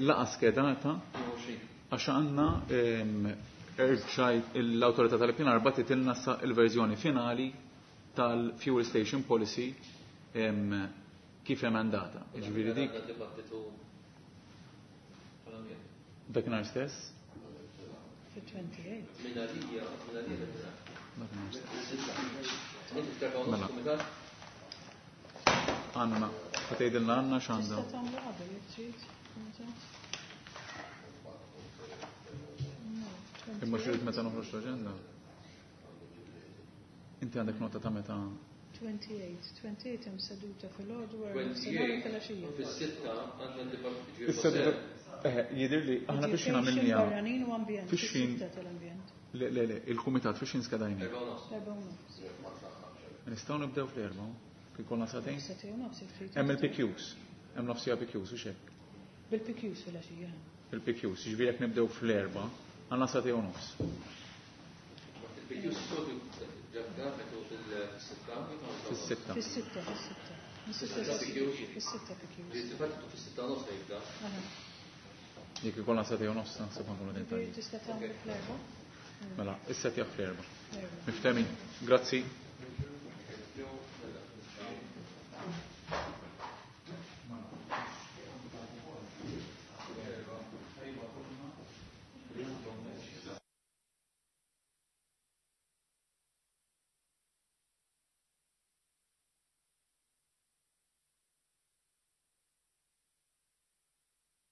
laqgħa skedata għax għandna erġajt l-awtorità tal-ippjanar bagħtitilna sa il-verżjoni finali tal-Fuel Station Policy kif emendata. Jiġifieri dik dakinhar stess? Fit-28. Dakinhar stess. Mela. Anna, ħa tgħidilna Anna x'għandha. Tista' tagħmlu qabel jekk trid. Kumitat. No, Imma 28. xi meta noħroġ l-aġenda? Inti għandek nota ta' meta 28, 28 hemm seduta fil-għodu wara nofsinhar u filgħaxija. Fis-sitta għandna dibattitu. Is-seduta jidher li aħna biex nagħmilniha. Barranin u ambjent. Fix-xin- Fis-sitta tal-ambjent. Le, le, le, il-kumitat fix skedajni. 4:30. Nistgħu nibdew fl-4, kif konna sagħtejn? Sagħtejn u nofs jekk trid. Hemm il-PQs, hemm nofsija PQs u xek. Bil-PQs filgħaxija. Il-PQs, jiġifieri jekk nibdew fl-4, għandna sagħtejn u nofs. Il-PQs soltu ġabda fil-sitta. Fis-sitta. Fis-sitta, fis-sitta. Fis-sitta fis-sitta PQs. Il-dibattitu fis-sitta nofs jibda. Aha. Jekk ikollna sagħtejn u nofs, naħseb nkunu qegħdin Ġifieri tajjeb. tista' tagħmlu fl-4. Mela, is-setja fl-4. Erba'. Miftemin. Grazzi.